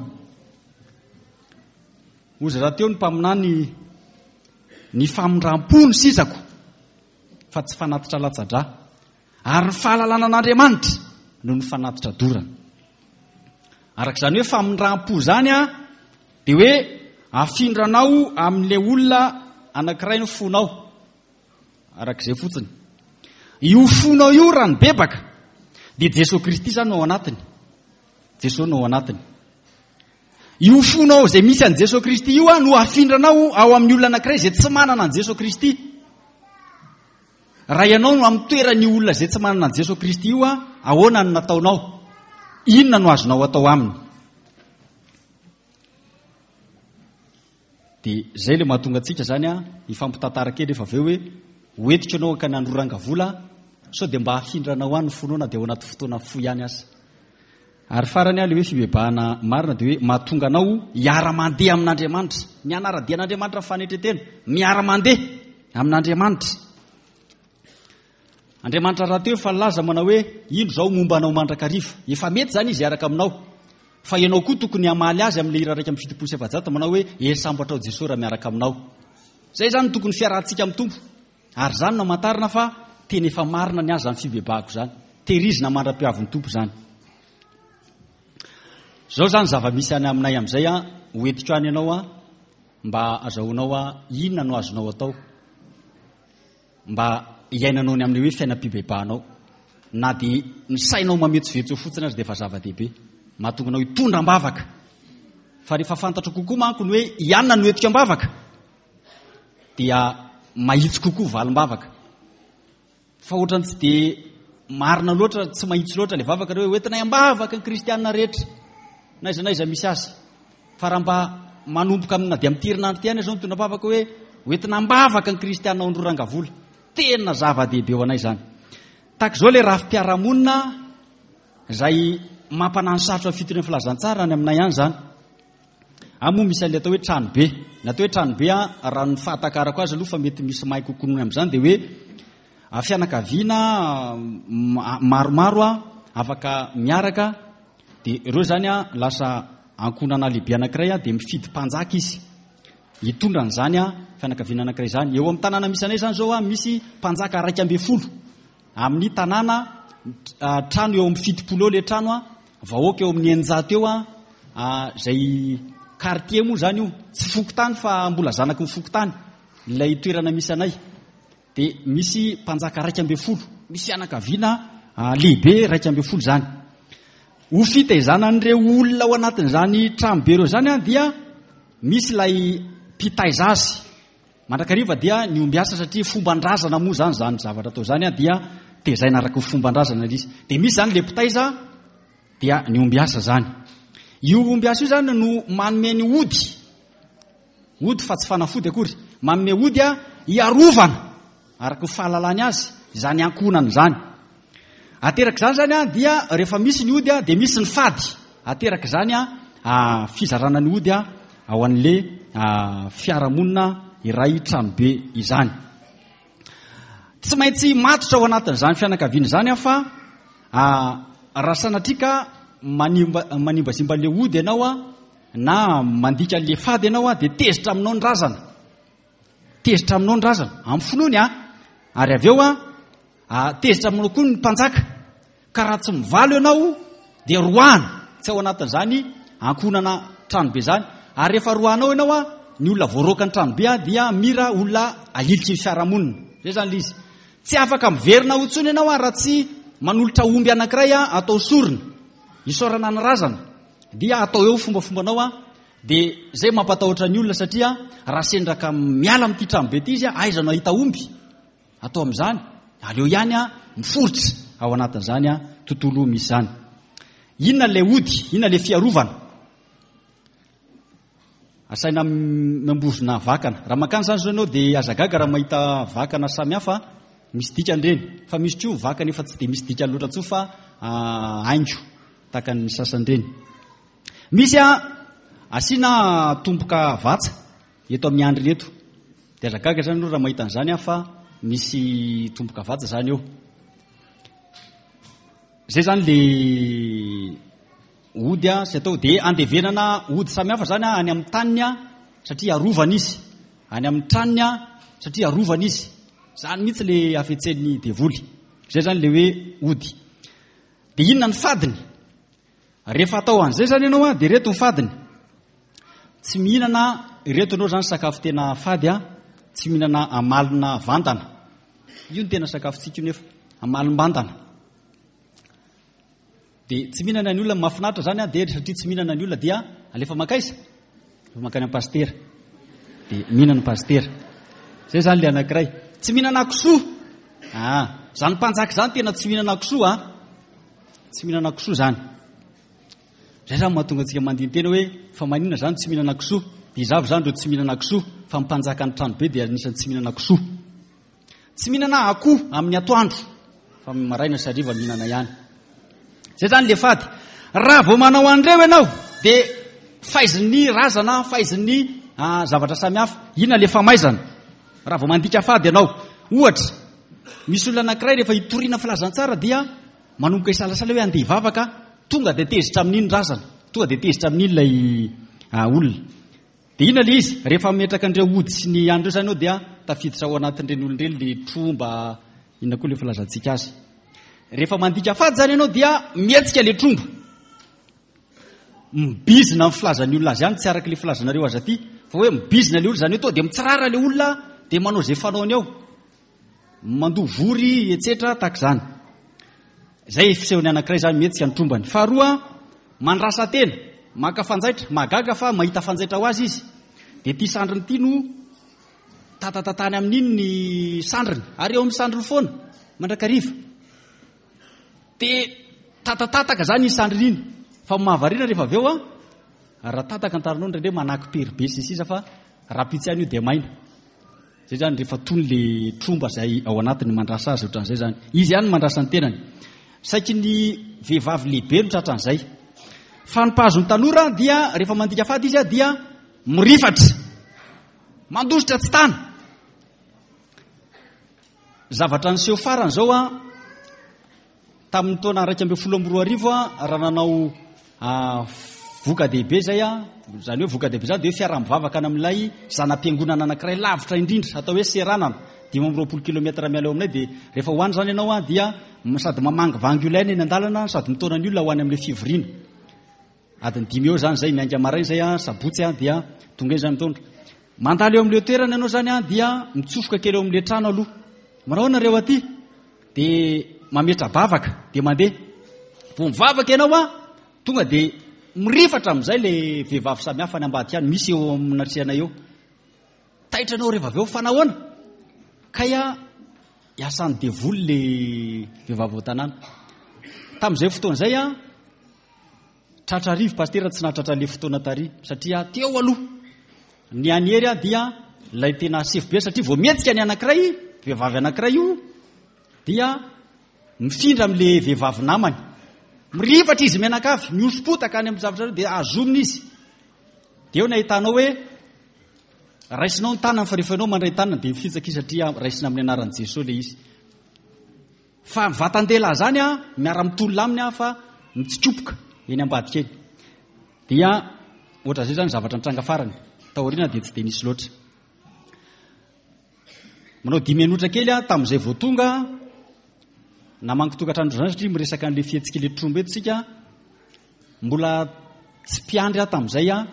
Hoy rahateo ny mpaminany ny famindram-po no sizako fa tsy fanatitra latsa-drà. Ary ny fahalalana an'Andriamanitra no ny fanatitra dorana. Araka izany hoe famindram-po izany a, dia hoe afindranao amin'ilay olona anankiray ny fonao. Araka izay fotsiny. Io fonao io raha nibebaka, dia Jesoa Kristy izany no ao anatiny. Jesoa no ao anatiny. Io fonao izay misy an'i Jesoa Kristy io no afindranao ao amin'ny olona anankiray izay tsy manana an'i Jesoa Kristy. Raha ianao no amin'ny toeran'io olona izay tsy manana an'i Jesoa Kristy io, ahoana no nataonao? Inona no azonao atao aminy? Dia izay ilay mahatonga antsika izany hifampitantara kely rehefa avy eo hoe hoentiko ianao hankany Androrangavola sao dia mba hafindranao any ny fonao na dia ao anaty fotoana fohy ihany aza. Ary farany ilay hoe fibebahana marina dia hoe mahatonga anao hiara-mandeha amin'Andriamanitra. Ny hanara-dia an'Andriamanitra amin'ny fanetren-tena, miara-mandeha amin'Andriamanitra. Andriamanitra rahateo efa nilaza manao hoe indro izao momba anao mandrakariva. Efa mety izany izy hiaraka aminao. Fa ianao koa tokony hamaly azy amin'ilay hira 471 manao hoe hery sambatra ao Jesoa raha miaraka aminao. Izay izany no tokony fiarahantsika amin'ny Tompo. Ary izany no hamantarana fa tena efa marina ny azy izany fibebahako izany. Tehirizina mandra-piavin'ny Tompo izany. Izao izany zava-misy any aminay amin'izay an, hoentiko any ianao an, mba azahoanao an, inona no azonao atao. Mba hiainanao ny amin'ny hoe fiainam-pibebahanao. Na dia ny sainao mametsovetso eo fotsiny aza dia efa zava-dehibe. Mahatonga anao hitondra am-bavaka. Fa rehefa fantatro kokoa manko ny hoe ianona no entiko am-bavaka, dia mahitsy kokoa valim-bavaka. Fa ohatrany tsy dia marina loatra, tsy mahitsy loatra ilay vavaka hoe hoentinay am-bavaka ny kristianina rehetra, na aiza na aiza misy azy. Fa raha mba manomboka amina dia amin'ity herinandro ity ihany izao mitondra am-bavaka hoe hoentina am-bavaka ny kristianina ao Androrangavola. Tena zava-dehibe ho anay izany. Tahaka izao ilay rafi-piarahamonina izay mampanano sarotra ny fitoriana filazantsara any aminay any izany. Any moa misy an'ilay atao hoe tranobe. Ny atao hoe tranobe, raha ny fahatakarako azy aloha fa mety misy mahay kokoa noho ny amin'izany dia hoe fianakaviana maromaro afaka miaraka dia ireo izany lasa ankohonana lehibe anankiray dia mifidy mpanjaka izy hitondra an'izany fianakaviana anankiray izany. Eo amin'ny tanàna misy anay izany izao misy mpanjaka 11 amin'ny tanàna, trano eo amin'ny 70 eo ilay trano, vahoaka eo amin'ny 600 eo, izay quartier moa izany io, tsy fokontany fa mbola zanaky ny fokontany ilay toerana misy anay. Dia misy mpanjaka 11, misy fianakaviana lehibe 11 izany. Ho fitaizana an'ireo olona ao anatin'izany tranobe ireo izany dia misy ilay mpitaiza azy. Mandrakariva dia ny ombiasa satria fomban-drazana moa izany izany zavatra atao izany dia tezaina araka ny fomban-drazana ilay izy. Dia misy izany ilay mpitaiza dia ny ombiasa izany. Io ombiasa io izany no manome ny ody. Ody fa tsy fanafody akory. Manome ody hiarovana araka ny fahalalany azy izany ankohonana izany. Ateraka izany izany dia rehefa misy ny ody dia misy ny fady. Ateraka izany fizarana ny ody ao an'le fiarahamonina iray tranobe izany. Tsy maintsy matotra ao anatin'izany fianakaviana izany aho fa raha sanatria ka manimba manimbazimba le ody ianao na mandika an'le fady ianao dia tezitra aminao ny razana. Tezitra aminao ny razana, amin'ny finoany a. Ary avy eo a, tezitra aminao koa ny mpanjaka. Ka raha tsy mivalo ianao dia roahana, tsy ao anatin'izany ankohonana tranobe izany. Ary rehefa roahanao ianao a, ny olona voaroaka ny tranobe a dia mira olona ahiliky ny fiarahamonina. Izay izany ilay izy. Tsy afaka miverina ao intsony ianao a raha tsy manolotra omby anankiray a atao sorona, isaorana ny razana. Dia atao eo fombafombanao a, dia izay mampatahotra ny olona satria raha sendra ka miala amin'ity tranobe ity izy a, aiza no hahita omby? Atao amin'izany, aleo ihany a miforitra ao anatin'izany a tontolo misy izany. Inona ilay ody? Inona ilay fiarovana? Asaina miambozona vakana. Raha mankany izany izao ianao dia aza gaga raha mahita vakana samihafa misy dikany ireny. Fa misy koa vakana efa tsy dia misy dikany loatra intsony fa haingo tahaka ny sasany ireny. Misy asiana tomboka vatsa eto amin'ny andriny eto. Dia aza gaga izany ianao raha mahita an'izany fa misy tomboka vatsa izany eo. Izay izany le Ody sy atao dia andevenana ody samihafa izany any amin'ny taniny satria arovana izy, any amin'ny tranony satria arovana izy. Izany mihitsy le hafetsen'ny devoly. Izay izany le hoe ody. Dia inona ny fadiny? Rehefa atao an'izay izany ianao dia ireto ny fadiny. Tsy mihinana ireto ianao izany sakafo tena fady a, tsy mihinana amalona vandana. Io no tena sakafontsika io nefa, amalom-bandana. Dia tsy mihinana ny olona, mahafinaritra zany an, dia satria tsy mihinana ny olona dia alefa mankaiza? Alefa mankany amin'ny pasitera. Dia mihinana ny pasitera. Zay zany le anankiray. Tsy mihinana kisoa. Ah, zany mpanjaka zany tena tsy mihinana kisoa ah. Tsy mihinana kisoa zany. Zay zany mahatonga antsika mandini-tena hoe fa maninona zany tsy mihinana kisoa? Dia iza avy zany ireo tsy mihinana kisoa? Fa ny mpanjaka ny tranobe dia anisan'ny tsy mihinana kisoa. Tsy mihinana akoho amin'ny atoandro fa amin'ny maraina sy hariva mihinana ihany. Zay zany le fady. Raha vao manao an'ireo ianao dia faizin'ny razana, faizin'ny ah, zavatra samihafa. Inona le famaizana? Raha vao mandika fady ianao. Ohatra, misy olona anankiray rehefa hitoriana filazantsara dia manomboka hisalasala hoe andeha hivavaka, tonga dia tezitra amin'iny razana, tonga dia tezitra amin'iny ilay ah, olona. Dia inona ilay izy? Rehefa mametraka an'ireo ody sy ny an'ireo izany eo dia tafiditra ao anatin'ireny olona ireny ilay tromba, inona koa ilay filazantsika azy. Rehefa mandika fady izany ianao dia mihetsika ilay tromba. Mibizina ny filazan'ny olona azy ihany, tsy araka ilay filazanareo azy aty, fa hoe mibizina ilay olona izany hoe tonga dia mitsirara ilay olona dia manao izay fanaony ao. Mandoa vory etsetra tahaka izany. Izay fisehony anankiray izany mihetsika ny trombany. Faharoa, mandrasa tena, maka fanjaitra, mahagaga fa mahita fanjaitra ho azy izy. Dia ity sandriny ity no tatatatany amin'iny ny sandriny, ary eo amin'ny sandriny foana mandrakariva. Dia tatatataka izany iny sandriny iny. Fa mahavariana rehefa avy eo an, raha tataka ny taranao indraindray manaky-pery be sy ny sisa fa rahampitso ihany io dia maina. Zay zany rehefa tony le tromba zay ao anatiny mandrasa azy ohatran'izay zany. Izy ihany mandrasa ny tenany. Saiky ny vehivavy lehibe no tratran'izay. Fa ny mpahazo ny tanora dia rehefa mandika fady izy dia mirifatra. Mandositra tsy tana. Zavatra niseho farany zao a Tamin'ny taona 2011 raha nanao voka-dehibe izay aho, izany hoe voka-dehibe izany dia hoe fiaraha-mivavaka any amin'ilay zana-piangonana anankiray lavitra indrindra atao hoe Seranana, 25 kilomètre miala eo aminay dia rehefa ho any izany ianao dia sady mamangivangy olona eny an-dalana sady mitaona ny olona ho any amin'ilay fivoriana. Adiny dimy eo izany izay, miainga maraina izay an, sabotsy an, dia tonga eny izany mitondra. Mandalo eo amin'ilay toerana ianao izany an, dia mitsofoka kely eo amin'ilay trano aloha. Manao ahoana nareo aty? Dia mametra-bavaka, dia mandeha. Vao mivavaka ianao an, tonga dia mirifatra amin'izay ilay vehivavy samihafa any ambadika any, misy eo amin'ny natrehanay eo. Taitra ianao rehefa avy eo, fa nahoana? Kay an, iasan'ny devoly ilay vehivavy ao an-tanàna. Tamin'izay fotoana izay an, Tratra arivo pasitera tsy nahatratra le fotoana tary satria teo aloha ny an'i Hery dia ilay tena sefo be satria vao mihetsika ny anankiray vehivavy anankiray io dia mifindra amin'le vehivavy namany mirifatra izy mianakavy mihoso-potaka any amin'ny zavatra dia azomina izy dia eo ny ahitanao hoe raisinao ny tanany fa rehefa ianao mandray tanana dia mifitsaka izy satria raisina amin'ny anaran'i Jesosy le izy Fa ny vatan-dehilahy izany an, miara-mitolona aminy an fa mitsikopoka eny ambadika eny. Dia ohatran'izay izany zavatra nitranga farany. Taoriana dia tsy dia nisy loatra. Manao dimy minitra kely aho tamin'izay vao tonga namangy tokantrano izany satria miresaka an'ilay fihetsik'ilay tromba eto isika. Mbola tsy mpiandry aho tamin'izay an,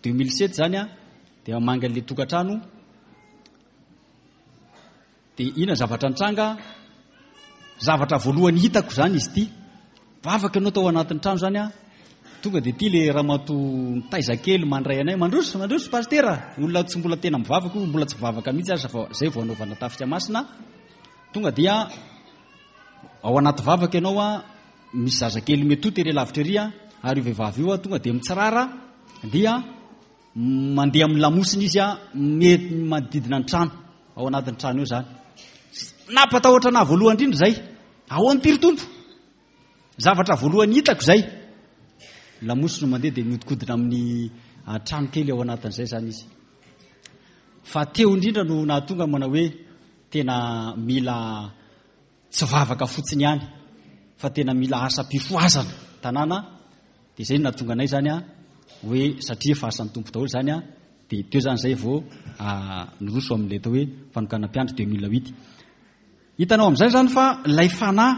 2007 izany an, dia mamangy an'ilay tokantrano. Dia inona zavatra nitranga? Zavatra voalohany hitako izany izy ity. Vavaka ianao tao anatin'ny trano izany an. Tonga dia ity le ramatoa mitaiza kely mandray anay, mandroso, mandroso pasitera. Olona tsy mbola tena mivavaka io, mbola tsy mivavaka mihitsy aza fa izay vao anaovana tafika masina. Tonga dia ao anaty vavaka ianao an, misy zazakely metoa tery lavitra ery an, ary io vehivavy io an, tonga dia mitsirara dia. Mandeha amin'ny lamosina izy a, mety manodidina ny trano, ao anatin'ny trano eo izany. Nampatahotra anah voalohany indrindra izay. Ahoana ity ry Tompo? Zavatra voalohany hitako izay. Lamosina mandeha dia mihodinkodina amin'ny ah, trano kely ao anatin'izay izany izy. Fa teo indrindra no nahatonga manao hoe tena mila Tsy vavaka fotsiny ihany fa tena mila asam-pifohazana tanàna dia izay no nahatonga anay izany hoe satria efa asan'ny Tompo daholo izany dia teo izany izay vao niroso amin'ilay atao hoe fanokanam-piandry 2008. Hitanao amin'izay izany fa ilay fanahy,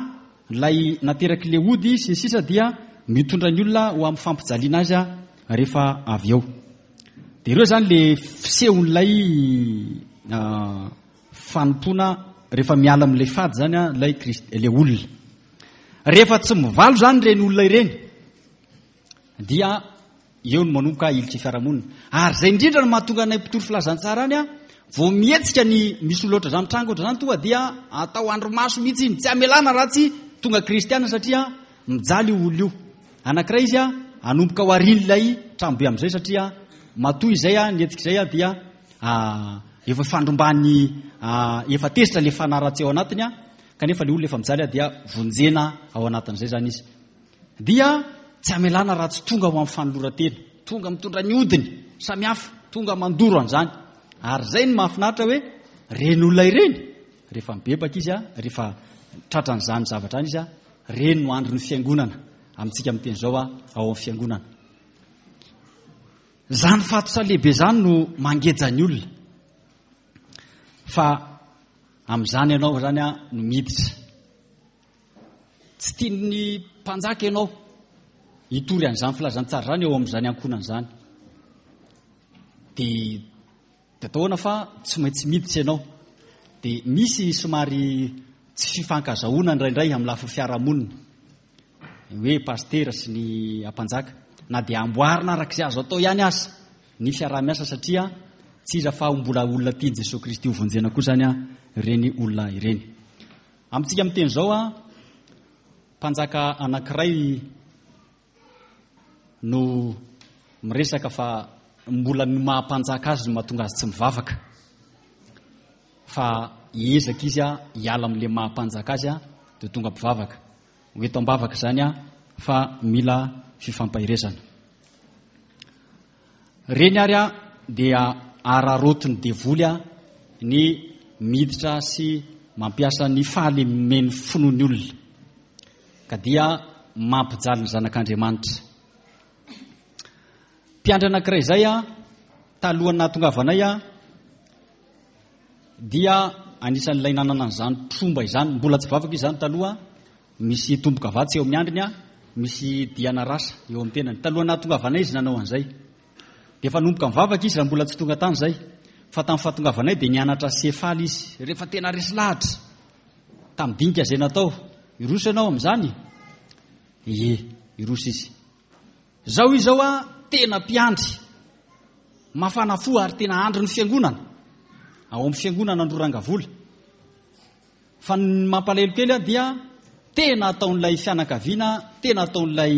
ilay naterak'ilay ody sy ny sisa dia mitondra ny olona ho amin'ny fampijaliana azy rehefa avy eo. Dia ireo izany ilay fisehon'ilay Fanompoana rehefa miala amin'ilay fady izany ilay Krist ilay olona. Rehefa tsy mivalo izany ireny olona ireny dia eo no manomboka ilika fiarahamonina. Ary izay indrindra no mahatonga anay mpitory filazantsara any vao mihetsika ny misy olona ohatr'izany mitranga ohatr'izany tonga dia atao andrimaso mihitsy iny, tsy amelana raha tsy tonga kristiana satria mijaly io olona io. Anankiray izy hanomboka ho arian'ilay tranobe amin'izay satria matoa izay ny hetsika izay dia Efa fandromban'ny efa tezitra le fanahy ratsy ao anatiny kanefa le olona efa mijaly dia vonjena ao anatin'izay zany izy. Dia tsy amelana raha tsy tonga ho amin'ny fanoloran-tena, tonga mitondra ny odiny samihafa, tonga mandoro an'izany. Ary izay no mahafinaritra hoe reny olona ireny rehefa mibebaka izy rehefa tratran'izany zavatra any izy reny no andron'ny fiangonana amintsika miteny izao ao amin'ny fiangonana. Izany fatotra lehibe izany no mangeja ny olona. Fa amin'izany ianao izany no miditra. Tsy tian'ny mpanjaka ianao hitory an'izany filazantsara izany eo amin'izany ankohonana izany. Dia Dia atao ahoana fa tsy maintsy miditra ianao. Dia misy somary tsy fifankazahoana indraindray amin'ny lafiny fiarahamonina. Ny hoe pasitera sy ny ampanjaka. Na dia amboarina araka izay azo atao ihany aza ny fiaraha-miasa satria tsy iza fa mbola olona tian'i Jesoa Kristy ho vonjena koa izany ireny olona ireny. Amintsika miteny izao, mpanjaka anankiray no miresaka fa mbola ny maha mpanjaka azy no mahatonga azy tsy mivavaka fa hiezaka izy hiala amin'ilay maha mpanjaka azy dia tonga mpivavaka. Ho eto am-bavaka izany fa mila fifampaherezana. Reny ary dia araraotin'ny devoly ny miditra sy mampiasa ny fahalemen'ny finoan'ny olona. Ka dia mampijaly ny zanak'Andriamanitra. Mpiandry anankiray izay a, talohan'ny nahatongavanay a, dia anisan'ilay nanana an'izany tromba izany, mbola tsy vavaka izy izany taloha, misy tombokavatsa eo amin'ny andriny a, misy diana rasa eo amin'ny tenany. Talohan'ny nahatongavanay izy nanao an'izay. Dia efa nanomboka nivavaka izy raha mbola tsy tonga tany izay. Fa tamin'ny fahatongavanay dia nianatra sefaly izy, rehefa tena resy lahatra. Tamin'ny dinika izay natao, hiroso ianao amin'izany? Ie, hiroso izy. Izao izy izao a, tena mpiandry, mafana fo ary tena andrin'ny fiangonana, ao amin'ny fiangonana Androrangavola. Fa ny mampalahelo kely dia tena ataon'ilay fianakaviana, tena ataon'ilay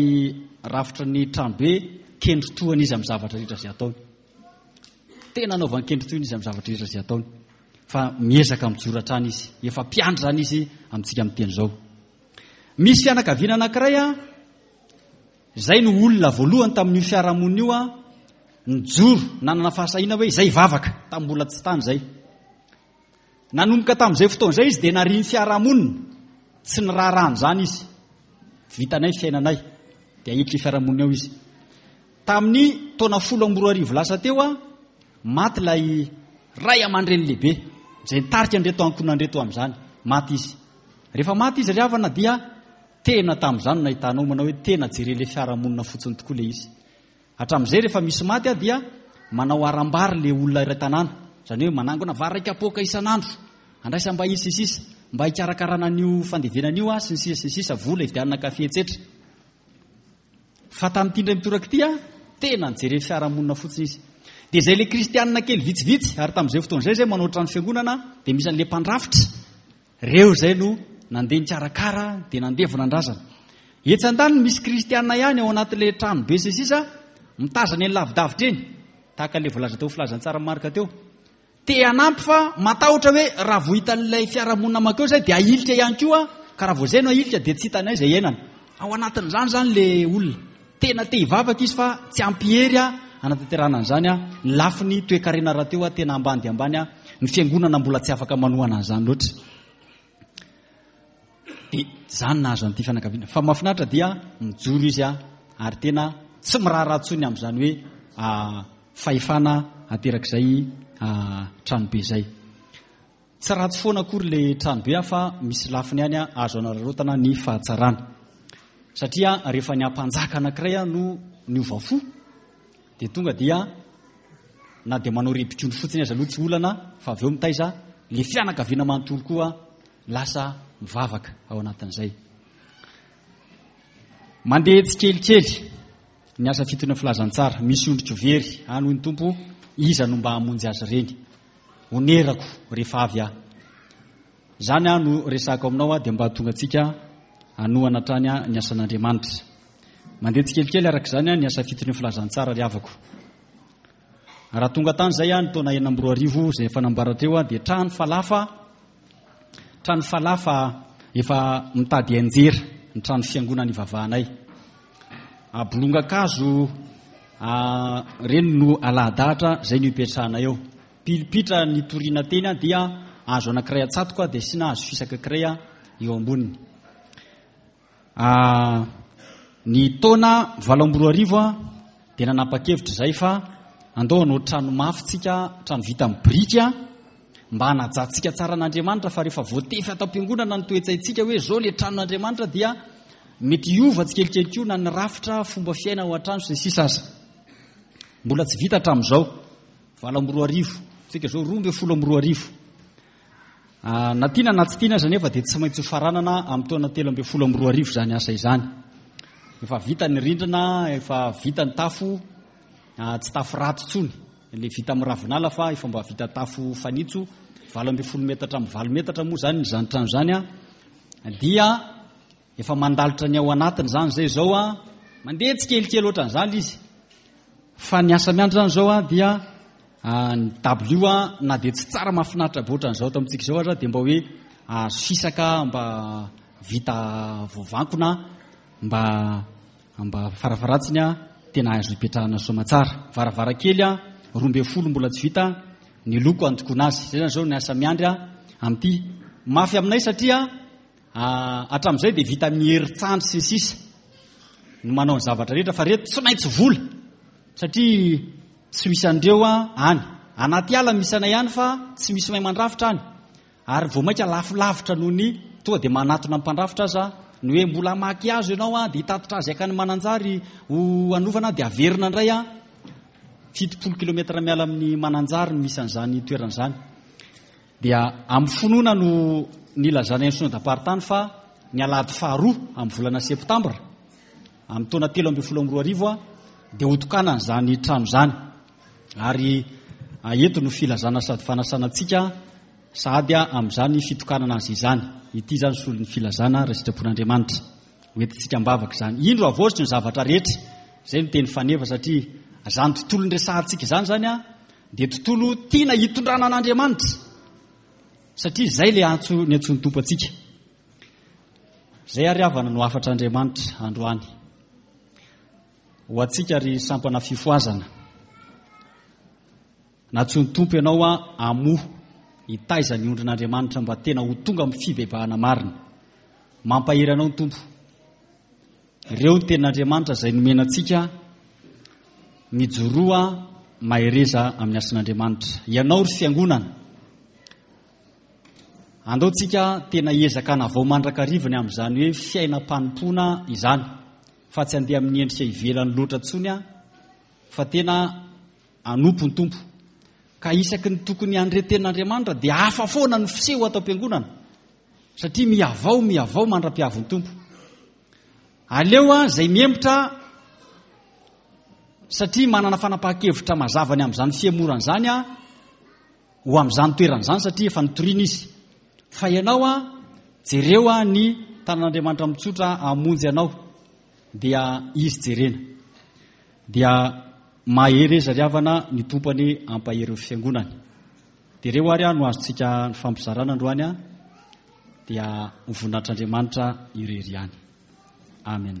rafitry ny tranobe kendritohana izy amin'ny zavatra rehetra izay ataony. Tena anaovany kendritohina izy amin'ny zavatra rehetra izay ataony. Fa miezaka mijoro hatrany izy. Efa mpiandry izany izy amintsika miteny izao. Misy fianakaviana anankiray a, izay no olona voalohany tamin'io fiarahamonina io a, nijoro, nanana fahasahiana hoe izay hivavaka, tamin'ny mbola tsy tany izay. Nanomboka tamin'izay fotoana izay izy dia narian'ny fiarahamonina, tsy niraharaha an'izany izy. Vitanay ny fiainanay, dia ahitry ny fiarahamonina ao izy. Tamin'ny taona 2010 lasa teo, maty ilay ray aman-dreny lehibe izay nitarika an'ireto ankohonana ireto amin'izany. Maty izy. Rehefa maty izy ry havana dia tena tamin'izany no nahitanao manao hoe tena jeren'ilay fiarahamonina fotsiny tokoa ilay izy. Hatramin'izay rehefa misy maty aho dia manao haram-bary ilay olona iray tanàna. Izany hoe manangona vary iray kapoaka isan'andro, andraisam-bahiny sy ny sisa, mba hikarakarana an'io fandevenana io sy ny sisa sy ny sisa, vola hividianana kafe etsetra. Fa tamin'ity indray mitoraka ity aho, tena nijery fiarahamonina fotsiny izy. Dia izay ilay kristianina kely vitsivitsy, ary tamin'izay fotoana izay izay manao trano fiangonana, dia misy an'ilay mpandrafitra. Ireo izay no nandeha nikarakara, dia nandevona ny razana. Etsy andaniny misy kristianina ihany ao anatin'ilay trano be sy sisa, mitazana eny lavidavitra eny. Tahaka ilay voalaza teo filazantsara Marka teo. Te hanampy fa matahotra hoe raha vao hitan'ilay fiarahamonina mankeo izay dia ahilika ihany koa, ka raha vao izay no ahilika dia tsy hitanay izay iainana. Ao anatin'izany izany ilay olona. Tena te hivavaka izy fa tsy ampy hery hanatanterahana an'izany. Ny lafiny toekarena rahateo tena ambany dia ambany, ny fiangonana mbola tsy afaka manohana an'izany loatra. Dia izany nahazo an'ity fianakaviana. Fa mahafinaritra dia mijoro izy ary tena tsy miraharaha intsony amin'izany hoe fahefana aterak'izay tranobe izay. Tsy ratsy foana akory ilay tranobe fa misy lafiny ihany azo anararaotana ny fahatsarana. Satria rehefa ny ampanjaka anankiray no niova fo dia tonga dia na dia manao rebik'ondry fotsiny aza aloha tsy olana fa avy eo mitaiza le fianakaviana manontolo koa lasa mivavaka ao anatin'izay. Mandeha tsikelikely ny asa fitoriana filazantsara. Misy ondriko very any hoy ny Tompo, iza no mba hamonjy azy ireny? Onerako rehefa avy aho. Izany aho no resahako aminao aho dia mba hahatonga antsika hanohana hatrany ny asan'Andriamanitra. Mandeha tsikelikely araka izany ny asa fitoriana filazantsara ry havako. Raha tonga tany izay aho ny taona 2006 izay efa nambara teo dia trano falafa trano falafa efa mitady hianjera ny trano fiangonana ivavahanay. Bolongan-kazo ireny no alahadahatra izay no ipetrahanay eo. Pilipitra nitoriana teny dia hazo anankiray atsatoka dia asiana hazo fisaka ankiray eo amboniny. Ny taona 2008 dia nanapa-kevitra izahay fa andao hanao trano mafy tsika, trano vita amin'ny biriky mba hanajantsika tsara an'Andriamanitra fa rehefa voatefy ato am-piangonana ny toe-tsaintsika hoe izao ilay tranon'Andriamanitra dia mety hiova tsikelikely koa na ny rafitra, fomba fiaina ao an-trano sy ny sisa aza. Mbola tsy vita hatramin'izao. 2008, tsika izao 2012. Na tiana na tsy tiana aza anefa dia tsy maintsy hofaranana amin'ny taona 2013 izany asa izany. Efa vita ny rindrina, efa vita ny tafo, tsy tafo ratsy intsony, ilay vita amin'ny ravinala fa efa mba vita tafo fanitso, 18 metatra amin'ny 8 metatra moa izany izany trano izany dia efa mandalotra ny ao anatiny izany izay izao mandeha tsikelikely ohatran'izany izy. Fa ny asa miandry izany izao dia ny dabilio na dia tsy tsara mahafinaritra be ohatran'izao ato amintsika izao aza dia mba hoe azo fisaka mba vita voavankona mba mba farafaratsiny tena azo ipetrahana soamatsara. Varavarankely 12 mbola tsy vita ny loko andokoana azy. Izay izany izao ny asa miandry amin'ity. Mafy aminay satria hatramin'izay dia vita amin'ny herin-tsandry sy ny sisa no manao ny zavatra rehetra fa reto tsy maintsy vola satria tsy misy an'ireo any. Anaty ala misy anay any fa tsy misy mahay mandrafitra any. Ary vao mainka lafo lavitra noho ny tonga dia manatona ny mpandrafitra aza ny hoe mbola hamaky hazo ianao dia hitatitra azy hankany Mananjary ho hanovana dia averina indray 70 kilomètre miala amin'ny Mananjary no misy an'izany toerana izany. Dia amin'ny finoana no nilazanay ny synodam-paritany fa ny alahady faharoa amin'ny volana septambra amin'ny taona 2013 dia hotokanana izany trano izany. Ary eto no filazana sady fanasana antsika sahady amin'izany fitokanana azy izany. Ity izany solon'ny filazana raha sitrapon'Andriamanitra. Hoentintsika am-bavaka izany. Indro havaoziko ny zavatra rehetra. Izay no teny faneva satria izany tontolo niresahantsika izany izany dia tontolo tiana hitondrana an'Andriamanitra. Satria izay ilay antso niantsoan'ny Tompo antsika. Izay ary havana no hafatr'Andriamanitra androany. Ho antsika ry sampana fifohazana. Nantsoin'ny Tompo ianao hamoha, hitaiza ny ondrin'Andriamanitra mba tena ho tonga amin'ny fibebahana marina. Mampahery anao ny Tompo. Ireo ny tenin'Andriamanitra izay nomena antsika, mijoroa mahereza amin'ny hasin'Andriamanitra. Ianao ry fiangonana, andao tsika tena hiezaka hanavao mandrakariva ny amin'izany hoe fiainam-panompoana izany. Fa tsy handeha amin'ny endrika ivelany loatra intsony aho, fa tena hanompo ny Tompo. Ka isaky ny tokony handre tenin'Andriamanitra dia hafa foana ny fiseho ato am-piangonana, satria mihavao, mihavao mandra-piavin'ny Tompo. Aleo aho izay mihemotra satria manana fanapahan-kevitra mazava ny amin'izany fihemorana izany aho, ho amin'izany toerana izany satria efa nitoriana izy. Fa ianao an, jereo an ny tanan'Andriamanitra mitsotra hamonjy anao, dia izy jerena. Dia Mahereza ry havana, ny Tompo anie hampahery ny fiangonany. Dia ireo ary no azontsika nifampizarana androany dia ho voninahitr'Andriamanitra irery ihany. Amen.